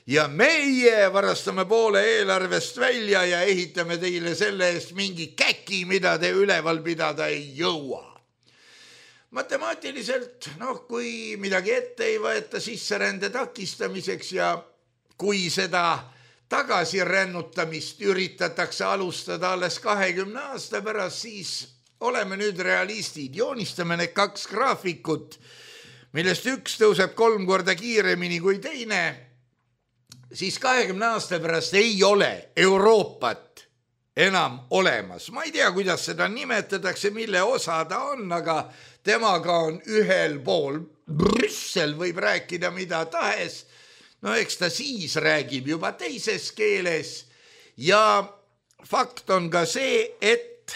ja meie varastame poole eelarvest välja ja ehitame teile selle eest mingi käki, mida te üleval pidada ei jõua. Matemaatiliselt, kui midagi ette ei võeta sisserände takistamiseks ja kui seda tagasirännutamist üritatakse alustada alles 20 aasta pärast, siis oleme nüüd realistid, joonistame need 2 graafikut, millest üks tõuseb 3 korda kiiremini kui teine, siis 20 aasta pärast ei ole Euroopat enam olemas. Ma ei tea, kuidas seda nimetatakse, mille osa ta on, aga temaga on ühel pool. Brüssel võib rääkida mida tahes, eks ta siis räägib juba teises keeles ja fakt on ka see, et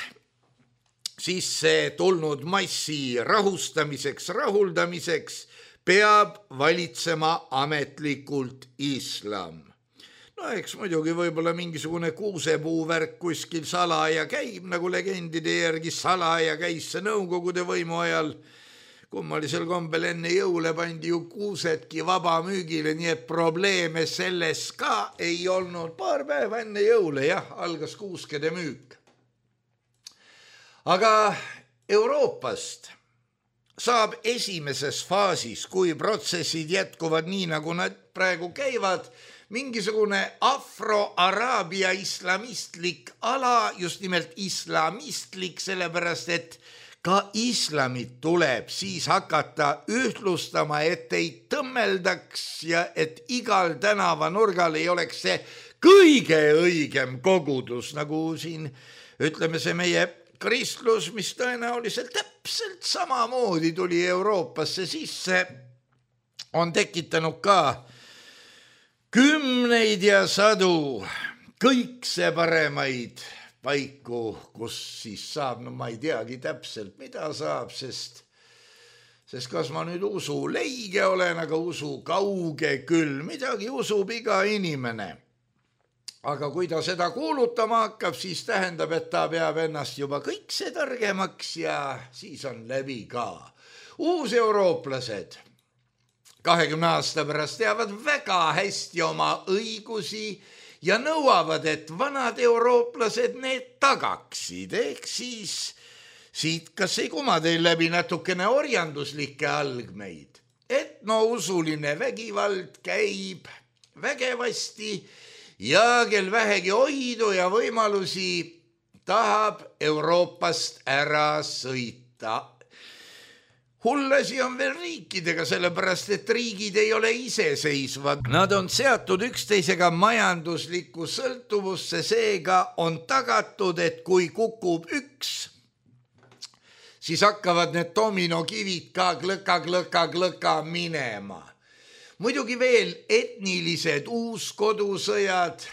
siis see tulnud massi rahuldamiseks peab valitsema ametlikult islam. Eks muidugi võib-olla mingisugune kuusepuuvärk kuskil salaja käib, nagu legendide järgi salaja käis see Nõukogude võimu ajal. Kummalisel kombel enne jõule pandi ju kuusedki vabamüügile, nii et probleeme selles ka ei olnud. Paar päeva enne jõule, algas kuuskede müük. Aga Euroopast saab esimeses faasis, kui protsessid jätkuvad nii, nagu nad praegu käivad, mingisugune afro-araabia islamistlik ala, just nimelt islamistlik, sellepärast et ka islamit tuleb siis hakata ühtlustama, et ei tõmmeldaks ja et igal tänavanurgal ei oleks see kõige õigem kogudus, nagu siin ütleme see meie kristlus, mis tõenäoliselt täpselt samamoodi tuli Euroopasse sisse, on tekitanud ka kümneid ja sadu kõikse paremaid paiku, kus siis saab, ma ei teagi täpselt, mida saab, sest kas ma nüüd usu leige olen, aga usu kauge küll, midagi usub iga inimene. Aga kui ta seda kuulutama hakkab, siis tähendab, et ta peab ennast juba kõikse targemaks ja siis on läbi ka. Uuseurooplased 20 aasta pärast teavad väga hästi oma õigusi ja nõuavad, et vanad eurooplased need tagaksid, ehk siis siit kas ei kuma teil läbi natukene orjanduslikke algmeid, et usuline vägivald käib vägevasti ja kel vähegi hoidu ja võimalusi tahab Euroopast ära sõita. Hullasi on veel riikidega, sellepärast et riigid ei ole iseseisvad. Nad on seatud üksteisega majanduslikku sõltuvusse, seega on tagatud, et kui kukub üks, siis hakkavad need dominokivid ka glõka minema. Muidugi veel etnilised uuskodusõjad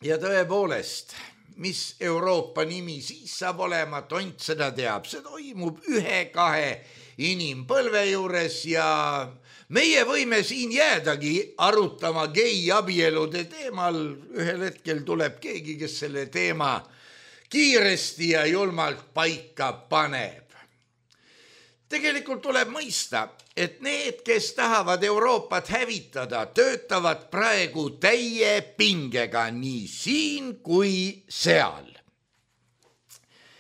ja tõepoolest, mis Euroopa nimi siis saab olema, tont seda teab. See toimub 1-2 inimpõlve juures ja meie võime siin jäädagi arutama geiabielude teemal. Ühel hetkel tuleb keegi, kes selle teema kiiresti ja julmalt paika paneb. Tegelikult tuleb mõista, et need, kes tahavad Euroopat hävitada, töötavad praegu täie pingega nii siin kui seal.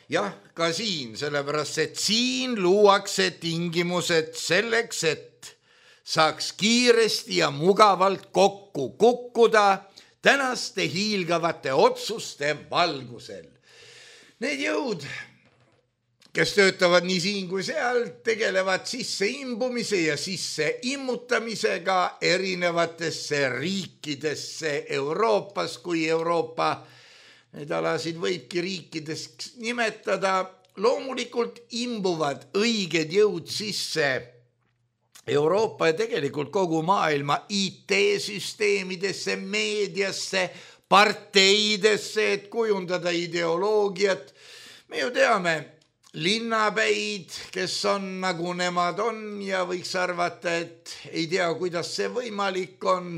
Jah, ka siin, sellepärast et siin luuakse tingimused selleks, et saaks kiiresti ja mugavalt kokku kukkuda tänaste hiilgavate otsuste valgusel. Need jõud, kes töötavad nii siin kui seal, tegelevad sisse imbumise ja sisse immutamisega erinevatesse riikidesse Euroopas, kui Euroopa neid alasid võibki riikidest nimetada. Loomulikult imbuvad õiged jõud sisse Euroopa ja tegelikult kogu maailma IT-süsteemidesse, meediasse, parteidesse, et kujundada ideoloogiat. Me ju teame linnapäid, kes on nagu nemad on ja võiks arvata, et ei tea, kuidas see võimalik on.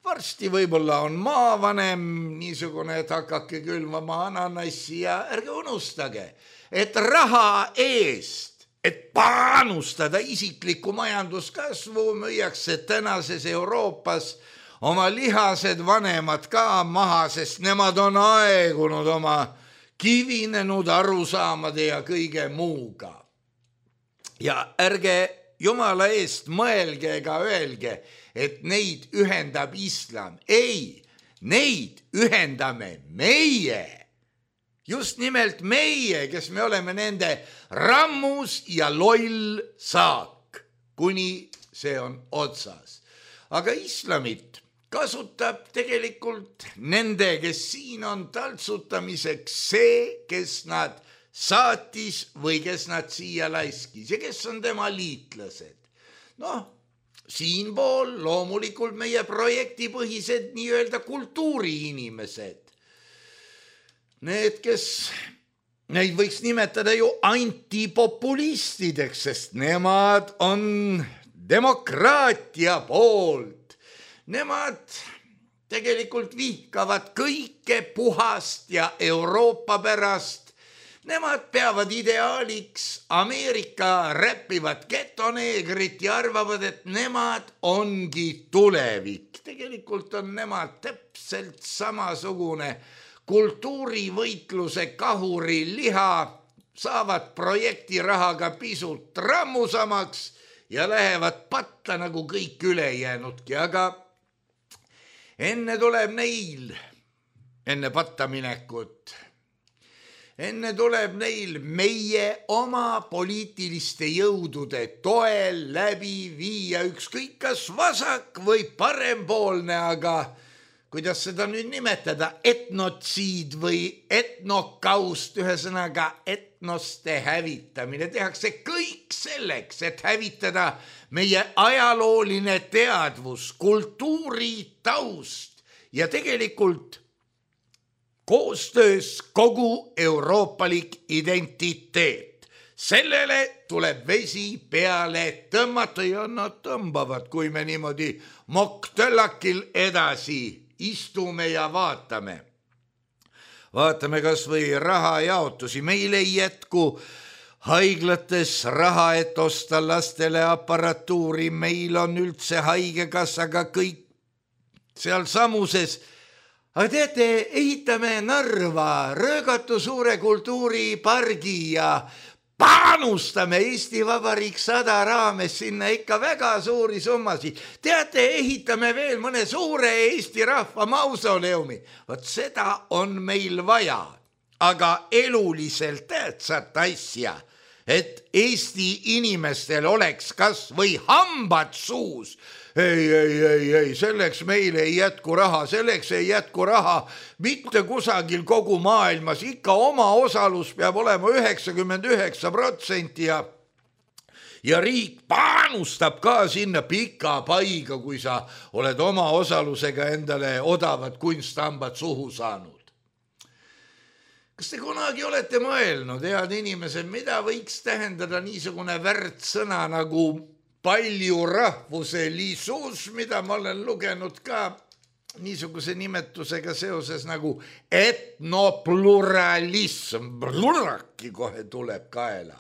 Varsti võib-olla on maavanem niisugune, et hakake külvama ananassi ja ärge unustage, et raha eest, et panustada isiklikku majanduskasvu, müüakse tänases Euroopas oma lihased vanemad ka maha, sest nemad on aegunud oma kivinenud arusaamade ja kõige muuga. Ja ärge Jumala eest mõelge ega öelge, et neid ühendab islam. Ei, neid ühendame meie. Just nimelt meie, kes me oleme nende rammus ja loll saak, kuni see on otsas. Aga islamit kasutab tegelikult nende, kes siin on taltsutamiseks see, kes nad saatis või kes nad siia laiskis ja kes on tema liitlased. Siinpool loomulikult meie projektipõhised nii-öelda kultuuriinimesed. Need, kes neid võiks nimetada ju antipopulistideks, sest nemad on demokraatia poolt. Nemad tegelikult vihkavad kõike puhast ja Euroopa pärast. Nemad peavad ideaaliks Ameerika räppivat getoneegrit ja arvavad, et nemad ongi tulevik. Tegelikult on nemad täpselt samasugune kultuurivõitluse kahuri liha, saavad projektirahaga pisut rammusamaks ja lähevad patta nagu kõik ülejäänudki, aga enne tuleb neil, enne patta minekut, enne tuleb neil meie oma poliitiliste jõudude toel läbi viia ükskõik kas vasak või parempoolne, aga kuidas seda nüüd nimetada, etnotsiid või etnokaust, ühesõnaga etnoste hävitamine. Tehakse kõik selleks, et hävitada meie ajalooline teadvus, kultuuritaust ja tegelikult koostöös kogu euroopalik identiteet. Sellele tuleb vesi peale tõmmata ja nad tõmbavad, kui me niimoodi moktõllakil edasi istume ja vaatame. Vaatame kas või rahajaotusi. Meil ei jätku haiglates raha, et osta lastele aparatuuri. Meil on üldse haigekassaga kõik seal samuses. Aga teate, ehitame Narva röögatu suure kultuuripargi ja panustame Eesti Vabariik 100 raames sinna ikka väga suuri summasid. Teate, ehitame veel mõne suure Eesti rahva mausoleumi. Vot seda on meil vaja, aga eluliselt tähtsat asja, et Eesti inimestel oleks kas või hambad suus. Ei, selleks meil ei jätku raha, selleks ei jätku raha mitte kusagil kogu maailmas, ikka oma osalus peab olema 99% ja riik panustab ka sinna pika paiga, kui sa oled oma osalusega endale odavad kunsthambad suhu saanud. Kas te kunagi olete mõelnud, head inimesed, mida võiks tähendada niisugune värdsõna nagu palju rahvuselisus, mida ma olen lugenud ka niisuguse nimetusega seoses nagu etnopluralism. Pluraki kohe tuleb kaela.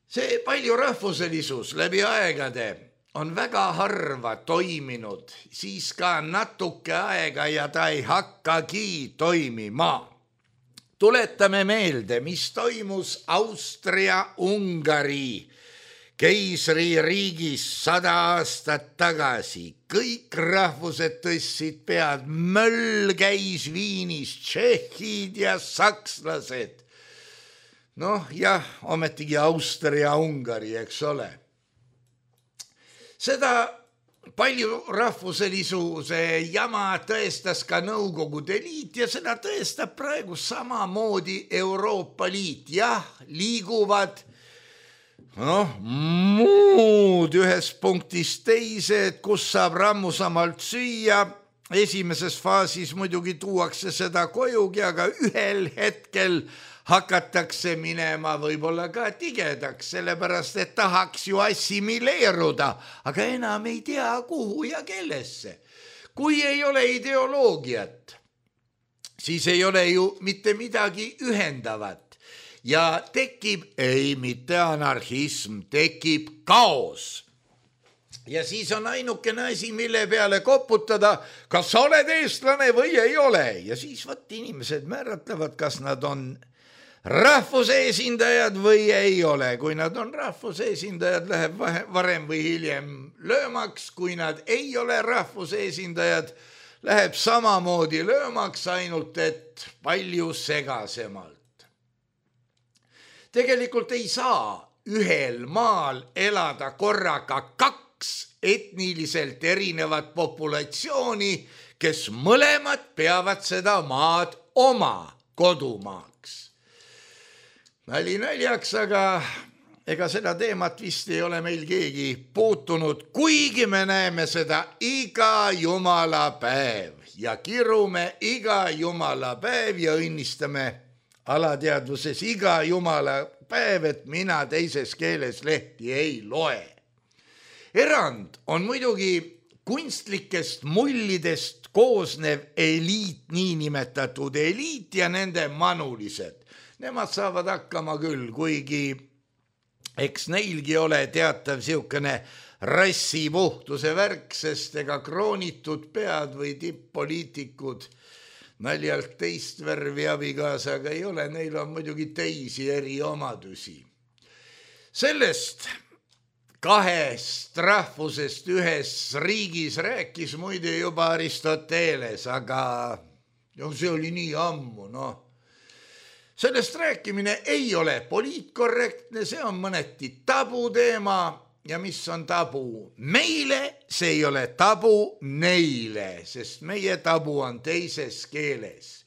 See palju rahvuselisus läbi aegade on väga harva toiminud, siis ka natuke aega ja ta ei hakkagi toimima. Tuletame meelde, mis toimus Austria-Ungari keisririigis 100 aastat tagasi kõik rahvused tõstsid pead, möll käis Viinis, tšehhid ja sakslased. Noh, jah, ometigi Austria, Ungari, eks ole. Seda palju rahvuselisuse jama tõestas ka Nõukogude Liit ja seda tõestab praegu samamoodi Euroopa Liit. Jah, liiguvad muud ühest punktist teise, kus saab rammusamalt süüa. Esimeses faasis muidugi tuuakse seda kojugi, aga ühel hetkel hakatakse minema võib-olla ka tigedaks, sellepärast et tahaks ju assimileeruda, aga enam ei tea, kuhu ja kellesse. Kui ei ole ideoloogiat, siis ei ole ju mitte midagi ühendavat ja tekib, ei mitte anarhism, tekib kaos. Ja siis on ainukene asi, mille peale koputada, kas sa oled eestlane või ei ole. Ja siis inimesed määratlevad, kas nad on rahvuse esindajad või ei ole. Kui nad on rahvuse esindajad, läheb varem või hiljem löömaks. Kui nad ei ole rahvuse esindajad, läheb samamoodi löömaks, ainult et palju segasemalt. Tegelikult ei saa ühel maal elada korraga 2 etniliselt erinevat populatsiooni, kes mõlemad peavad seda maad oma kodumaaks. Nali naljaks, aga ega seda teemat vist ei ole meil keegi puutunud, kuigi me näeme seda iga jumala päev ja kirume iga jumala päev ja õnnistame alateadvuses iga jumala päev, et mina teises keeles lehti ei loe. Erand on muidugi kunstlikest mullidest koosnev eliit, niinimetatud eliit ja nende manulised. Nemad saavad hakkama küll, kuigi eks neilgi ole teatav siukene rassipuhtuse värk, sest ega kroonitud pead või tipp-poliitikud naljalt teist värvi abikaasaga ei ole, neil on muidugi teisi eriomadusi. Sellest 2 rahvusest ühes riigis rääkis muide juba Aristoteles, aga see oli nii ammu, Sellest rääkimine ei ole poliitkorrektne, see on mõneti tabuteema ja mis on tabu meile, see ei ole tabu neile, sest meie tabu on teises keeles.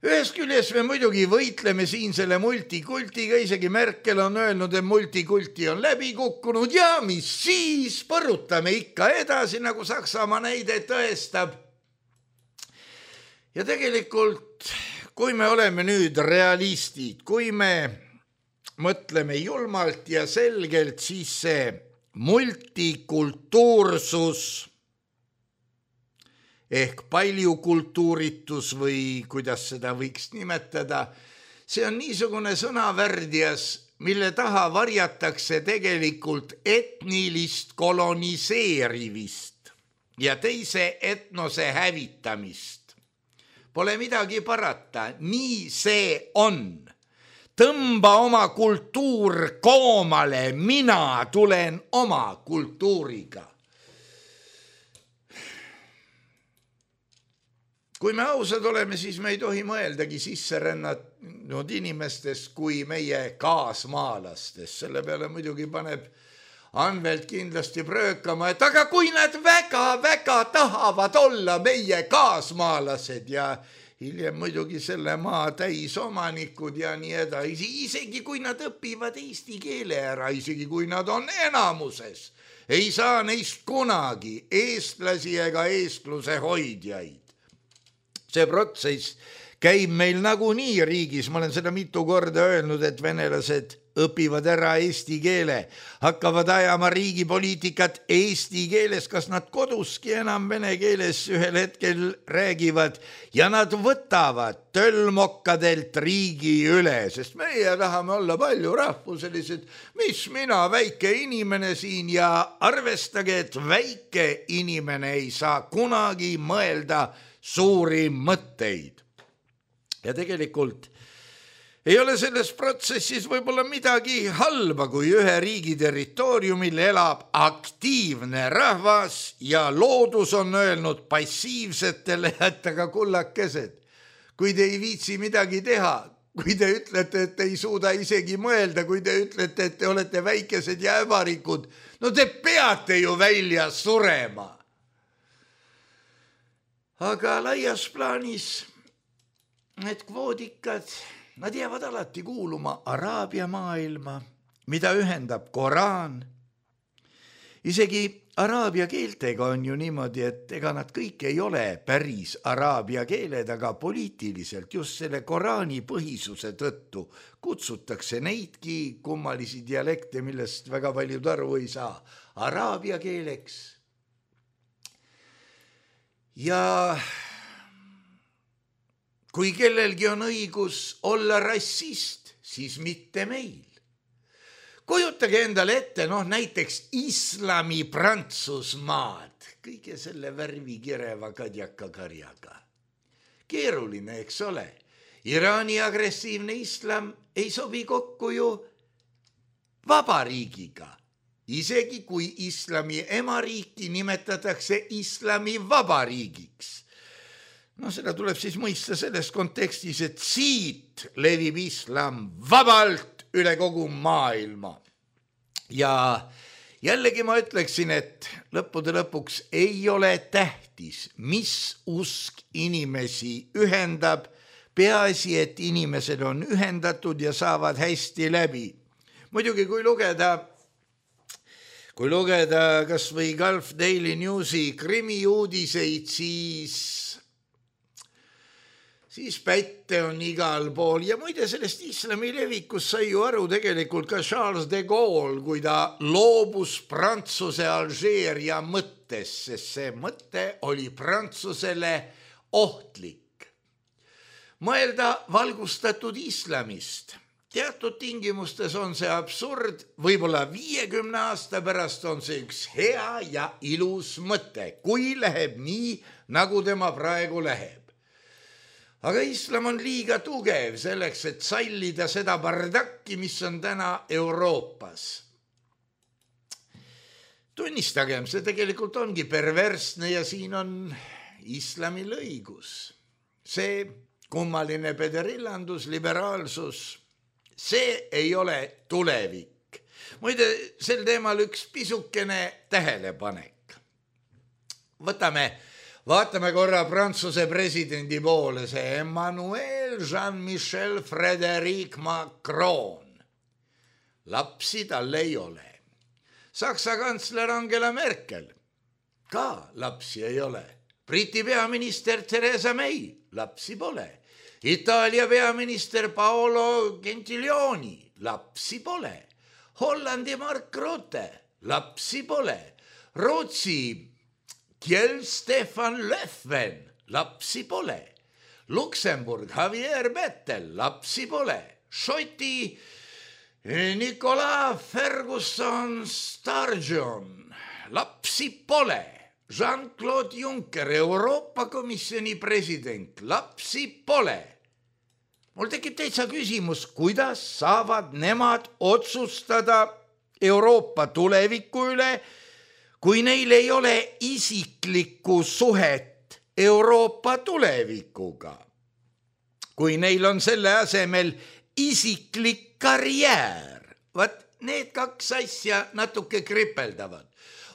Ühest küljest me muidugi võitleme siin selle multikultiga, isegi Merkel on öelnud, et multikulti on läbi kukkunud ja mis siis, põrutame ikka edasi, nagu Saksamaa näide tõestab. Ja tegelikult kui me oleme nüüd realistid, kui me mõtleme julmalt ja selgelt, siis see multikultuursus ehk paljukultuuritus või kuidas seda võiks nimetada, see on niisugune sõnavärdjas, mille taha varjatakse tegelikult etnilist koloniseerivist ja teise etnose hävitamist. Pole midagi parata, nii see on. Tõmba oma kultuur koomale, mina tulen oma kultuuriga. Kui me ausad oleme, siis me ei tohi mõeldagi sisserännanud inimestest kui meie kaasmaalastest. Selle peale muidugi paneb Anvelt kindlasti pröökama, et aga kui nad väga-väga tahavad olla meie kaasmaalased ja hiljem muidugi selle maa täisomanikud ja nii edasi, isegi kui nad õpivad eesti keele ära, isegi kui nad on enamuses, ei saa neist kunagi eestlasi ega eestluse hoidjaid. See protsess käib meil nagunii riigis, ma olen seda mitu korda öelnud, et venelased õpivad ära eesti keele, hakkavad ajama riigipoliitikat eesti keeles, kas nad koduski enam vene keeles ühel hetkel räägivad ja nad võtavad tölmokkadelt riigi üle, sest meie tahame olla palju rahvuselised, mis mina, väike inimene siin ja arvestage, et väike inimene ei saa kunagi mõelda suuri mõtteid. Ja tegelikult Ei ole selles protsessis võib-olla midagi halba, kui ühe riigi territooriumil elab aktiivne rahvas ja loodus on öelnud passiivsetele, et aga kullakesed, kui te ei viitsi midagi teha, kui te ütlete, et ei suuda isegi mõelda, kui te ütlete, et te olete väikesed ja äbarikud, no te peate ju välja surema. Aga laias plaanis need kvoodikad, nad jäävad alati kuuluma Araabia maailma, mida ühendab Koraan. Isegi araabia keeltega on ju niimoodi, et ega nad kõik ei ole päris araabia keeled, aga poliitiliselt just selle Koraani põhisuse tõttu kutsutakse neidki kummalisi dialekte, millest väga paljud aru ei saa, araabia keeleks. Ja kui kellelgi on õigus olla rassist, siis mitte meil. Kujutage endale ette, näiteks islami Prantsusmaad, kõige selle värvi kireva kadjaka karjaga. Keeruline, eks ole. Iraani agressiivne islam ei sobi kokku ju vabariigiga. Isegi kui islami emariiki nimetatakse islami vabariigiks. Seda tuleb siis mõista selles kontekstis, et siit levib islam vabalt üle kogu maailma. Ja jällegi ma ütleksin, et lõppude lõpuks ei ole tähtis, mis usk inimesi ühendab, peaasi, et inimesed on ühendatud ja saavad hästi läbi. Muidugi, kui lugeda kas või Gulf Daily Newsi krimiuudiseid, siis pätte on igal pool ja muide sellest islami levikus sai ju aru tegelikult ka Charles de Gaulle, kui ta loobus Prantsuse Alžeeria mõttes, sest see mõte oli Prantsusele ohtlik. Mõelda valgustatud islamist. Teatud tingimustes on see absurd, võib-olla 50 aasta pärast on see üks hea ja ilus mõte, kui läheb nii, nagu tema praegu läheb. Aga islam on liiga tugev selleks, et sallida seda bardakki, mis on täna Euroopas. Tunnistagem, see tegelikult ongi perversne ja siin on islamil õigus. See kummaline pederillandus, liberaalsus, see ei ole tulevik. Muide, sel teemal üks pisukene tähelepanek. Vaatame korra Prantsuse presidendi poole, see Emmanuel Jean-Michel Frédéric Macron. Lapsi tal ei ole. Saksa kantsler Angela Merkel, ka lapsi ei ole. Briti peaminister Theresa May, lapsi pole. Itaalia peaminister Paolo Gentiloni, lapsi pole. Hollandi Mark Rutte, lapsi pole. Rootsi Kjell Stefan Löfven, lapsi pole. Luksemburg Javier Bettel, lapsi pole. Šoti Nicolas Ferguson Sturgeon, lapsi pole. Jean-Claude Juncker, Euroopa Komisjoni president, lapsi pole. Mul tekib täitsa küsimus, kuidas saavad nemad otsustada Euroopa tuleviku üle, kui neil ei ole isiklikku suhet Euroopa tulevikuga. Kui neil on selle asemel isiklik karjäär. Need kaks asja natuke kripeldavad.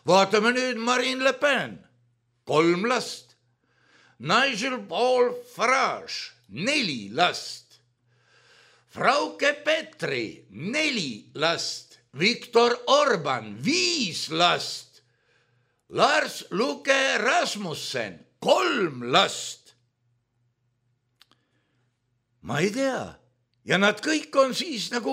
Vaatame nüüd Marine Le Pen, 3 last. Nigel Paul Farage, 4 last. Frauke Petri, 4 last. Viktor Orban, 5 last. Lars Luke Rasmussen, 3 last. Ma ei tea. Ja nad kõik on siis nagu,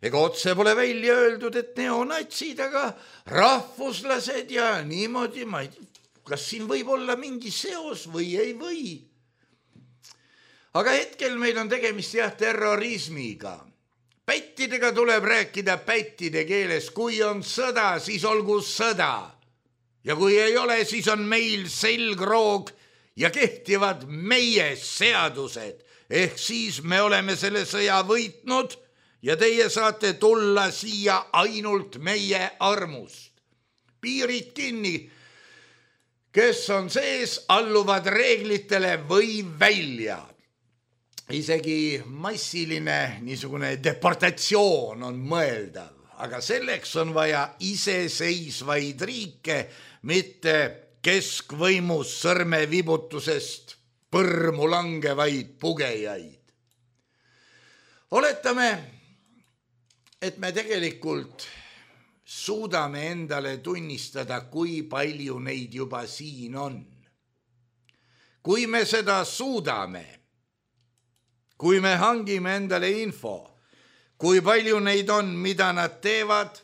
ega otse pole välja öeldud, et neonatsid, aga rahvuslased ja niimoodi, ma ei tea, kas siin võib olla mingi seos või ei või. Aga hetkel meil on tegemist terrorismiga. Pättidega tuleb rääkida pättide keeles. Kui on sõda, siis olgu sõda. Ja kui ei ole, siis on meil selgroog ja kehtivad meie seadused. ehk siis me oleme selle sõja võitnud ja teie saate tulla siia ainult meie armust. Piirid kinni, kes on sees, alluvad reeglitele või välja. Isegi massiline niisugune deportatsioon on mõeldav, aga selleks on vaja iseseisvaid riike, mitte keskvõimus sõrmevibutusest põrmu langevaid pugejaid. Oletame, et me tegelikult suudame endale tunnistada, kui palju neid juba siin on. Kui me seda suudame, kui me hangime endale info, kui palju neid on, mida nad teevad,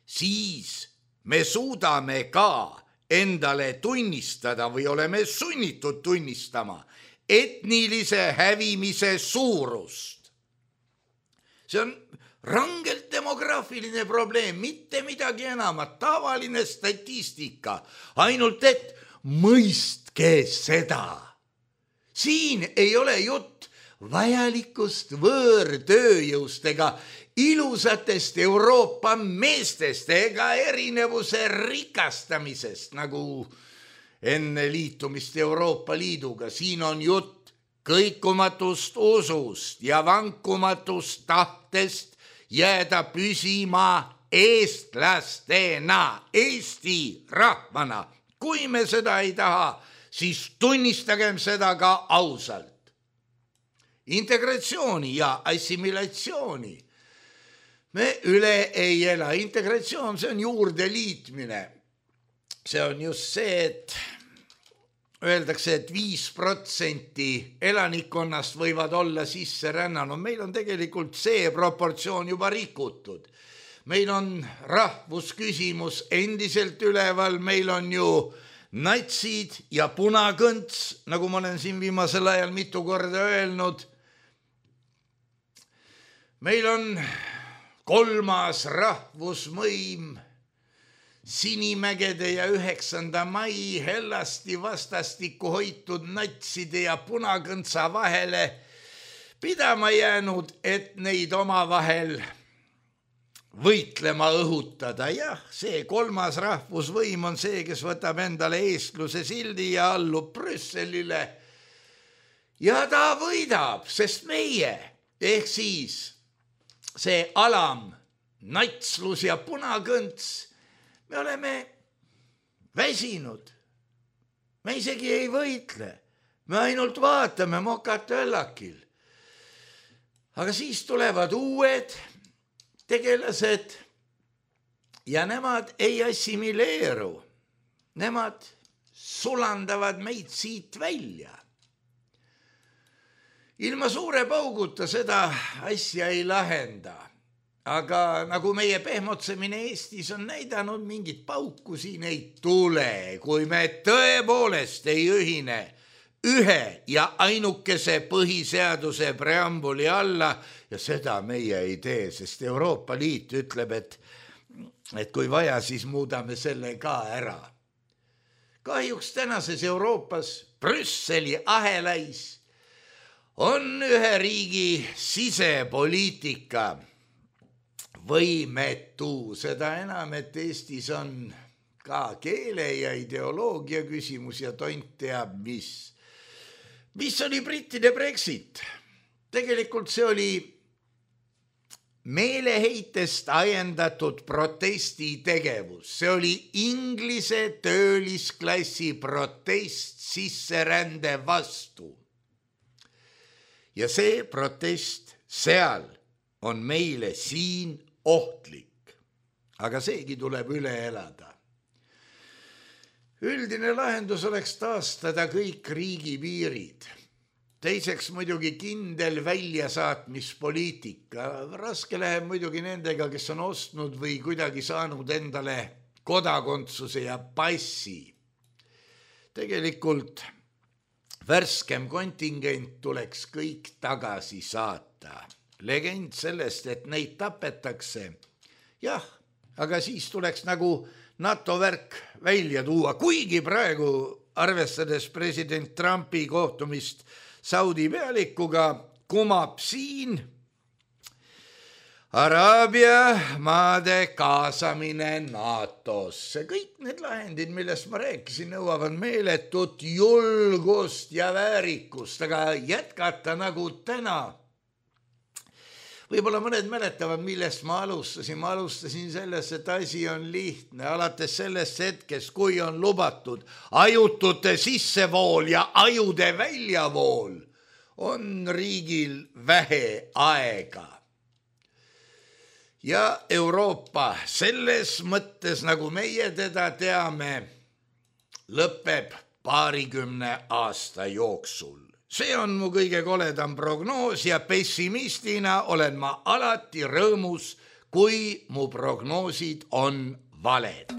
siis me suudame ka endale tunnistada või oleme sunnitud tunnistama etnilise hävimise suurust. See on rangelt demograafiline probleem, mitte midagi enamat, tavaline statistika, ainult et mõistke seda. Siin ei ole jutt vajalikust võõrtööjõust ega ilusatest Euroopa meestest ega erinevuse rikastamisest, nagu enne liitumist Euroopa Liiduga. Siin on jutt kõikumatust usust ja vankumatust tahtest jääda püsima eestlastena, Eesti rahvana. Kui me seda ei taha, siis tunnistagem seda ka ausalt. Integratsiooni ja assimilatsiooni me üle ei ela. Integratsioon, see on juurde liitmine. See on just see, et öeldakse, et 5% elanikkonnast võivad olla sisse rännanud. Meil on tegelikult see proportsioon juba rikutud. Meil on rahvusküsimus endiselt üleval, meil on ju natsid ja punakõnts, nagu ma olen siin viimasel ajal mitu korda öelnud. Meil on kolmas rahvusmõim, Sinimägede ja 9. mai hellasti vastastikku hoitud natside ja punakõntsa vahele pidama jäänud, et neid omavahel võitlema õhutada. Jah, see kolmas rahvusvõim on see, kes võtab endale eestluse sildi ja allub Brüsselile. Ja ta võidab, sest meie, ehk siis see alam, natslus ja punakõnts, me oleme väsinud. Me isegi ei võitle. Me ainult vaatame mokatöllakil. Aga siis tulevad uued tegelased ja nemad ei assimileeru. Nemad sulandavad meid siit välja. Ilma suure pauguta seda asja ei lahenda. Aga nagu meie pehmotsemine Eestis on näidanud, mingit pauku siin ei tule, kui me tõepoolest ei ühine ühe ja ainukese põhiseaduse preambuli alla ja seda meie ei tee, sest Euroopa Liit ütleb, et kui vaja, siis muudame selle ka ära. Kahjuks tänases Euroopas Brüsseli ahelais on ühe riigi sisepoliitika võimetu, seda enam, et Eestis on ka keele ja ideoloogia küsimus ja tont teab mis. Mis oli brittide Brexit? Tegelikult see oli meeleheitest ajendatud protestitegevus. See oli Inglise töölisklassi protest sisserände vastu. Ja see protest seal on meile siin ohtlik, aga seegi tuleb üle elada. Üldine lahendus oleks taastada kõik riigipiirid. Teiseks muidugi kindel väljasaatmispoliitika. Raske läheb muidugi nendega, kes on ostnud või kuidagi saanud endale kodakondsuse ja passi. Tegelikult värskem kontingent tuleks kõik tagasi saata. Legend sellest, et neid tapetakse. Jah, aga siis tuleks nagu NATO värk välja tuua, kuigi praegu arvestades president Trumpi kohtumist Saudi pealikuga kumab siin Araabia maade kaasamine NATO-sse. Kõik need lahendid, millest ma rääkisin, nõuavad meeletut julgust ja väärikust, aga jätkata nagu täna. Võib-olla mõned mäletavad, millest ma alustasin. Ma alustasin sellest, et asi on lihtne. Alates sellest hetkest, kui on lubatud ajutute sissevool ja ajude väljavool, on riigil vähe aega. Ja Euroopa selles mõttes, nagu meie teda teame, lõpeb 20 aasta jooksul. See on mu kõige koledam prognoos ja pessimistina olen ma alati rõõmus, kui mu prognoosid on valed.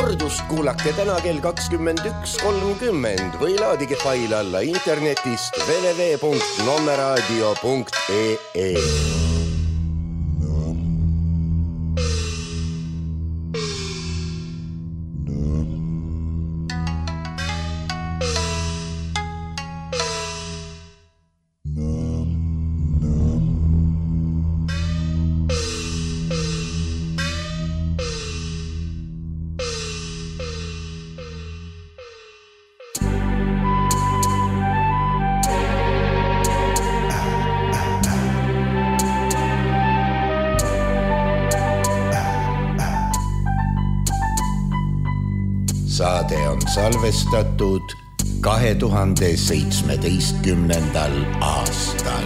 kordust kuulake täna kell 21.30 või laadige fail alla internetist www.nommeradio.ee. Saade on salvestatud 2017. aastal.